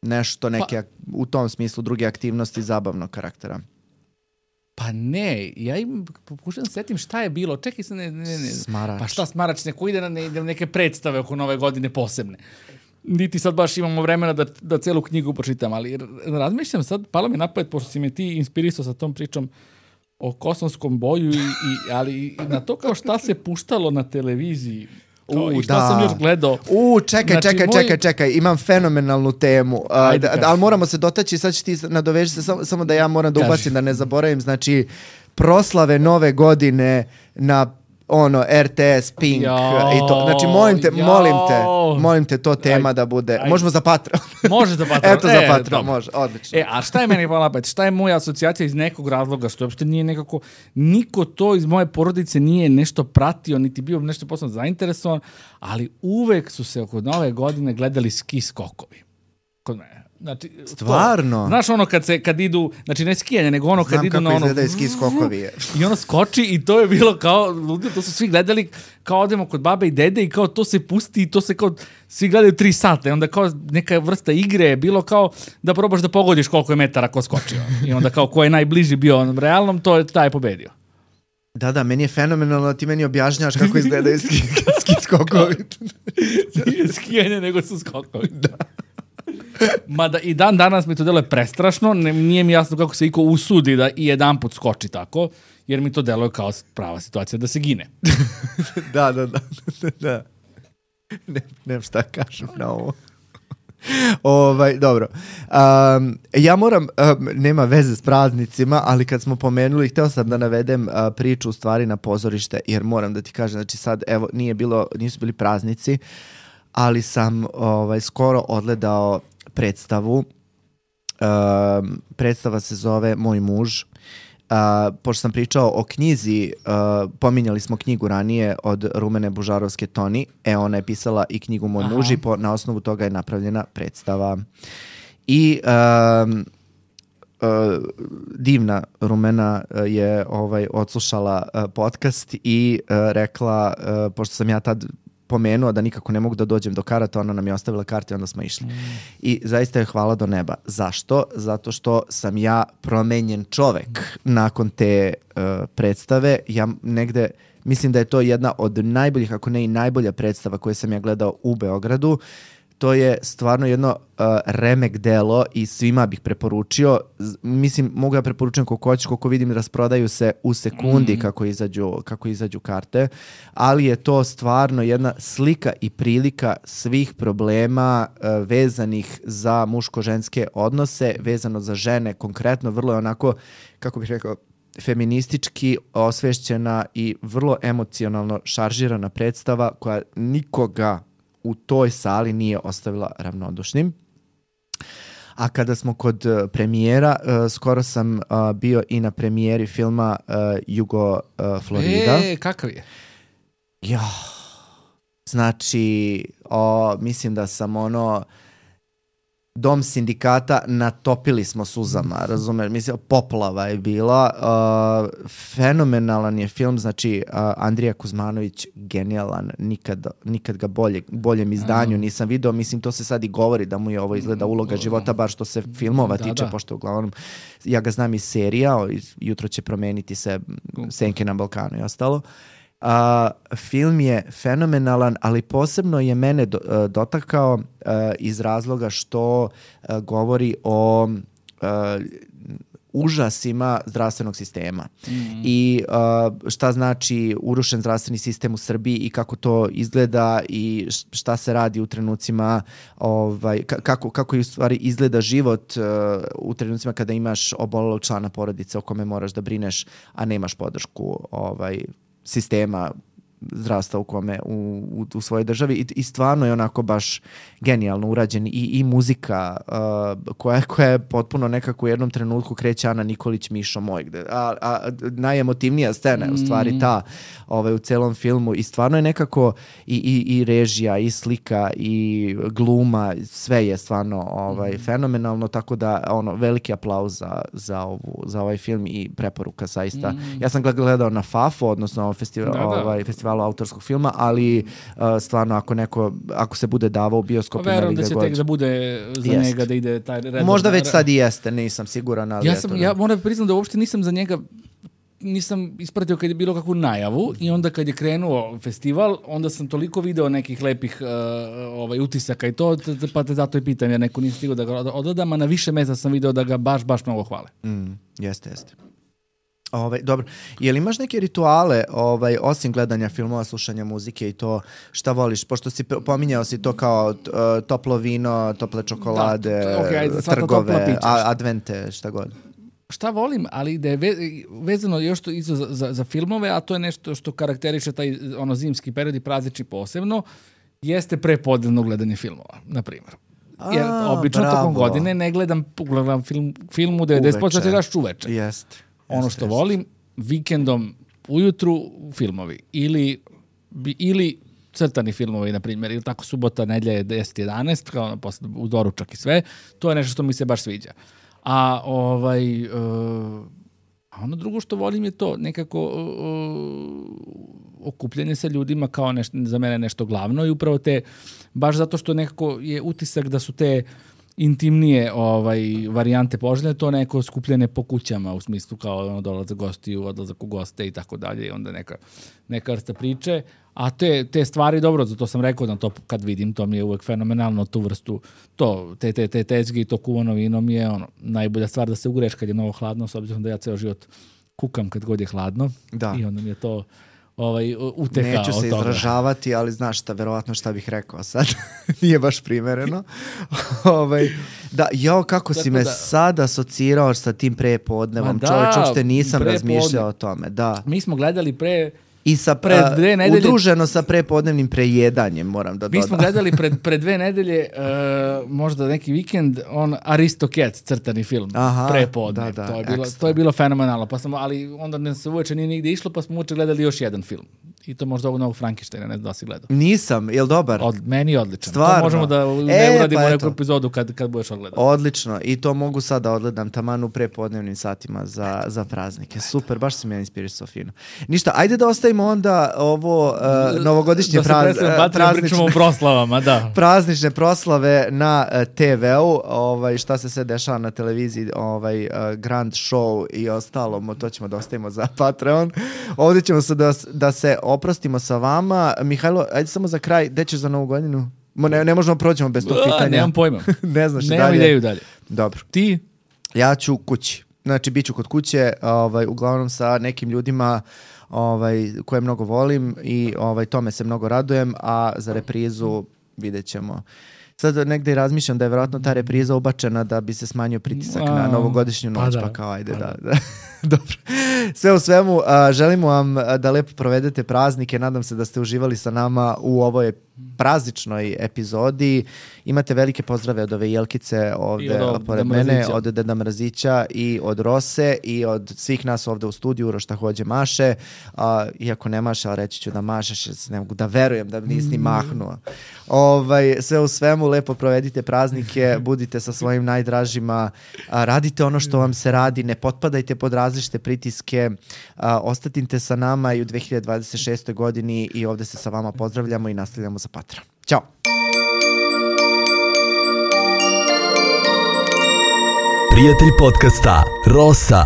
nešto, neke pa, u tom smislu druge aktivnosti zabavnog karaktera?
Pa ne, ja im pokušam da setim šta je bilo. Čekaj se, ne, ne, ne.
Smarač.
Pa šta Smarač, neko ide na, ne, neke predstave oko nove godine posebne. niti sad baš imamo vremena da, da celu knjigu pročitam, ali razmišljam sad, palo mi napad, pošto si me ti inspirisao sa tom pričom o kosovskom boju, i, i, ali i na to kao šta se puštalo na televiziji. Kao,
U,
i šta
da.
sam još gledao.
U, čekaj,
Znači,
čekaj,
moj-
čekaj, čekaj, imam fenomenalnu temu, uh,
Ajde,
da,
kaži.
ali moramo se dotaći, sad će ti nadoveži se, samo, samo da ja moram da
Kaži.
ubacim, da ne zaboravim, znači, proslave nove godine na ono, R T S, Pink
Jao,
i to. Znači, molim te,
jao.
molim te, molim te, to tema
Ajde,
da bude.
ajde.
Možemo za Patreon.
Može za Patreon.
Eto, za
E,
Patreon,
dobro.
može, odlično.
E, a šta je meni palo napad? Šta je moja asocijacija iz nekog razloga, što uopšte nije nekako, niko to iz moje porodice nije nešto pratio, niti bio nešto posebno zainteresovan, ali uvek su se oko nove godine gledali ski skokovi. Kod mene. Znači, to-
Stvarno?
znaš ono kad se kad idu, znači ne skijanje, nego ono kad
Znam
idu
kako
na ono
izgledaju ski skokovi.
i ono skoči i to je bilo kao ludilo, to su svi gledali kao odemo kod babe i dede i kao to se pusti i to se kao svi gledaju tri sata i onda kao neka vrsta igre je bilo kao da probaš da pogodiš koliko je metara ko skočio i onda kao ko je najbliži bio onom realnom, to je taj pobedio.
Da, da, meni je fenomenalno, ti meni objašnjavaš kako izgledaju ski, ski skokovi.
Nije skijanje, nego su skokovi. Da. Mada i dan danas mi to deluje prestrašno, ne, nije mi jasno kako se iko usudi da i jedan put skoči tako, jer mi to deluje kao prava situacija da se gine.
Da, da, da. da. Ne, nemam šta kažem na ovo. Ovaj, dobro. Um, ja moram, um, nema veze s praznicima, ali kad smo pomenuli, hteo sam da navedem uh, priču u stvari na pozorište, jer moram da ti kažem, znači sad, evo, nije bilo, nisu bili praznici, ali sam ovaj, skoro odgledao predstavu. Um, predstava se zove Moj muž. Uh, pošto sam pričao o knjizi, uh, pominjali smo knjigu ranije od Rumene Bužarovske Toni, e ona je pisala i knjigu Moj
Aha.
muž i po, na osnovu toga je napravljena predstava. I um, uh, divna Rumena uh, je ovaj, odslušala uh, podcast i uh, rekla, uh, pošto sam ja tad pomenuo da nikako ne mogu da dođem do karata, ona nam je ostavila karte i onda smo išli. Mm. I zaista je hvala do neba. Zašto? Zato što sam ja promenjen čovek nakon te uh, predstave. Ja negde, mislim da je to jedna od najboljih, ako ne i najbolja predstava koju sam ja gledao u Beogradu. To je stvarno jedno uh, remek delo i svima bih preporučio. Z- mislim, mogu ja preporučujem koliko hoćeš, koliko vidim rasprodaju se u sekundi mm. kako, izađu, kako izađu karte, ali je to stvarno jedna slika i prilika svih problema uh, vezanih za muško-ženske odnose, vezano za žene konkretno, vrlo je onako, kako bih rekao, feministički osvešćena i vrlo emocionalno šaržirana predstava koja nikoga u toj sali nije ostavila ravnodušnim. A kada smo kod uh, premijera, uh, skoro sam uh, bio i na premijeri filma uh, Jugo uh, Florida.
E, kakav je?
Ja, znači, o, mislim da sam ono, Dom sindikata natopili smo suzama, razumeš, mislim, poplava je bila, uh, fenomenalan je film, znači uh, Andrija Kuzmanović, genijalan, nikad, nikad ga bolje, boljem izdanju nisam video, mislim, to se sad i govori da mu je ovo izgleda uloga života, bar što se filmova
Da,
tiče,
da.
pošto uglavnom, ja ga znam iz serija, o, iz- jutro će promeniti se Senke na Balkanu i ostalo. Uh, film je fenomenalan, ali posebno je mene do, uh, dotakao uh, iz razloga što uh, govori o uh, užasima zdravstvenog sistema mm. i uh, šta znači urušen zdravstveni sistem u Srbiji i kako to izgleda i šta se radi u trenucima, ovaj, ka- kako, kako u stvari izgleda život uh, u trenucima kada imaš obolelog člana porodice o kome moraš da brineš, a nemaš podršku ovaj, sistema zdravstva u kome u, u, u svojoj državi i, i stvarno je onako baš genijalno urađen i, i muzika uh, koja, koja je potpuno nekako u jednom trenutku kreće Ana Nikolić Mišo moj, gde, a, a najemotivnija scena je u stvari ta ovaj, u celom filmu i stvarno je nekako i, i, i režija i slika i gluma, sve je stvarno ovaj, mm. fenomenalno, tako da ono, veliki aplauz za, za, ovu, za ovaj film i preporuka zaista. Mm. Ja sam ga gledao na Fafo, odnosno festival,
Da, da.
ovaj, festivalu autorskog filma, ali uh, stvarno ako neko, ako se bude davao u bioskopima
Verujem
ili
da
gde
će
god.
tek da bude za
Jest.
njega da ide taj red.
Možda već sad i jeste, nisam siguran, ali
Ja
eto,
sam,
da.
ja moram priznam da uopšte nisam za njega nisam ispratio kad je bilo kakvu najavu i onda kad je krenuo festival, onda sam toliko video nekih lepih uh, ovaj, utisaka i to, pa te zato i pitam, jer neko nije stigao da ga odgledam, a na više mesta sam video da ga baš, baš mnogo hvale.
Mm, jeste, jeste. Ovaj, dobro, je li imaš neke rituale, ovaj, osim gledanja filmova, slušanja muzike i to, šta voliš? Pošto si pominjao si to kao uh, toplo vino, tople čokolade,
da, to, okay, ajde,
trgove, a, advente, šta god.
Šta volim, ali da je ve, vezano još to isto za, za, za filmove, a to je nešto što karakteriše taj ono zimski period i praznični posebno, jeste prepodnevno gledanje filmova, na primjer. Jer obično
bravo.
tokom godine ne gledam, gledam film, film u devedeset posto gledaš uveče.
Jest.
Ono što jest. volim, vikendom ujutru filmovi ili, ili crtani filmovi, na primjer, ili tako subota, nedjelja je deset jedanaest, kao posle, u doručak i sve, to je nešto što mi se baš sviđa. A ovaj, uh, a ono drugo što volim je to nekako uh, okupljanje sa ljudima kao nešto, za mene nešto glavno i upravo te, baš zato što nekako je utisak da su te intimnije ovaj, varijante poželjne, to neko skupljene po kućama u smislu kao ono, dolazak gostiju, odlazak u goste i tako dalje i onda neka, neka vrsta priče. A te, te stvari, dobro, zato sam rekao da to kad vidim, to mi je uvek fenomenalno, tu vrstu, to, te, te, te tezge i to kuvano vino mi je ono, najbolja stvar da se ugreš kad je mnogo hladno, s obzirom da ja ceo život kukam kad god je hladno.
Da.
I onda mi je to ovaj, uteha
Neću
od
se
toga.
izražavati, ali znaš šta, verovatno šta bih rekao sad. Nije baš primereno. ovaj, da, jo, kako si me da, sad asocirao sa tim prepodnevom. Da, čovječ, uopšte nisam razmišljao o tome. Da.
Mi smo gledali pre...
I sa
pred dve nedelje,
udruženo sa prepodnevnim prejedanjem, moram da dodam.
Mi smo gledali pred, pred dve nedelje, uh, možda neki vikend, on Aristocats, crtani film, Aha, prepodne. Da, da, to, je bilo, to je bilo fenomenalno, pa sam, ali onda ne se uveče nije nigde išlo, pa smo uveče gledali još jedan film. I to možda ovog novog Frankensteina, ne znam da si gledao.
Nisam, je li dobar?
Od, meni je odličan.
Stvarno?
To možemo da
e,
ne uradimo
pa
neku epizodu kad, kad budeš odgledao.
Odlično, i to mogu sad da odgledam taman u prepodnevnim satima za, za praznike. Super, baš si me inspirisao fino. Ništa, ajde da ostavimo onda ovo uh, novogodišnje praz, uh, praznične,
proslavama, da.
praznične proslave na uh, te veu, ovaj, šta se sve dešava na televiziji, ovaj, uh, Grand Show i ostalo, to ćemo da ostavimo za Patreon. Ovdje ćemo se da, da se oprostimo sa vama. Mihajlo, ajde samo za kraj, gde ćeš za novu godinu? Ne, ne možemo prođemo bez tog pitanja.
Nemam pojma.
ne znaš
Nemam
dalje.
ideju dalje.
Dobro.
Ti?
Ja ću kući. Znači, bit ću kod kuće, ovaj, uglavnom sa nekim ljudima ovaj, koje mnogo volim i ovaj, tome se mnogo radujem, a za reprizu vidjet ćemo. Sad negde i razmišljam da je vjerojatno ta repriza ubačena da bi se smanjio pritisak a, na novogodišnju noć, pa, da, pa kao ajde pa da. da. Dobro. Sve u svemu, a, želimo vam da lepo provedete praznike, nadam se da ste uživali sa nama u ovoj prazničnoj epizodi. Imate velike pozdrave od ove Jelkice ovde pored mene, od Deda Mrazića i od Rose i od svih nas ovde u studiju, Uroš hođe maše. A, iako ne maše, ali reći ću da mašeš, ne mogu da verujem da nisi ni mahnuo. Ovaj, sve u svemu, lepo provedite praznike, budite sa svojim najdražima, a, radite ono što vam se radi, ne potpadajte pod različite pritiske, a, ostatite sa nama i u dve hiljade dvadeset šestoj godini i ovde se sa vama pozdravljamo i nastavljamo za Patreon. Ćao!
Prijatelj podcasta Rosa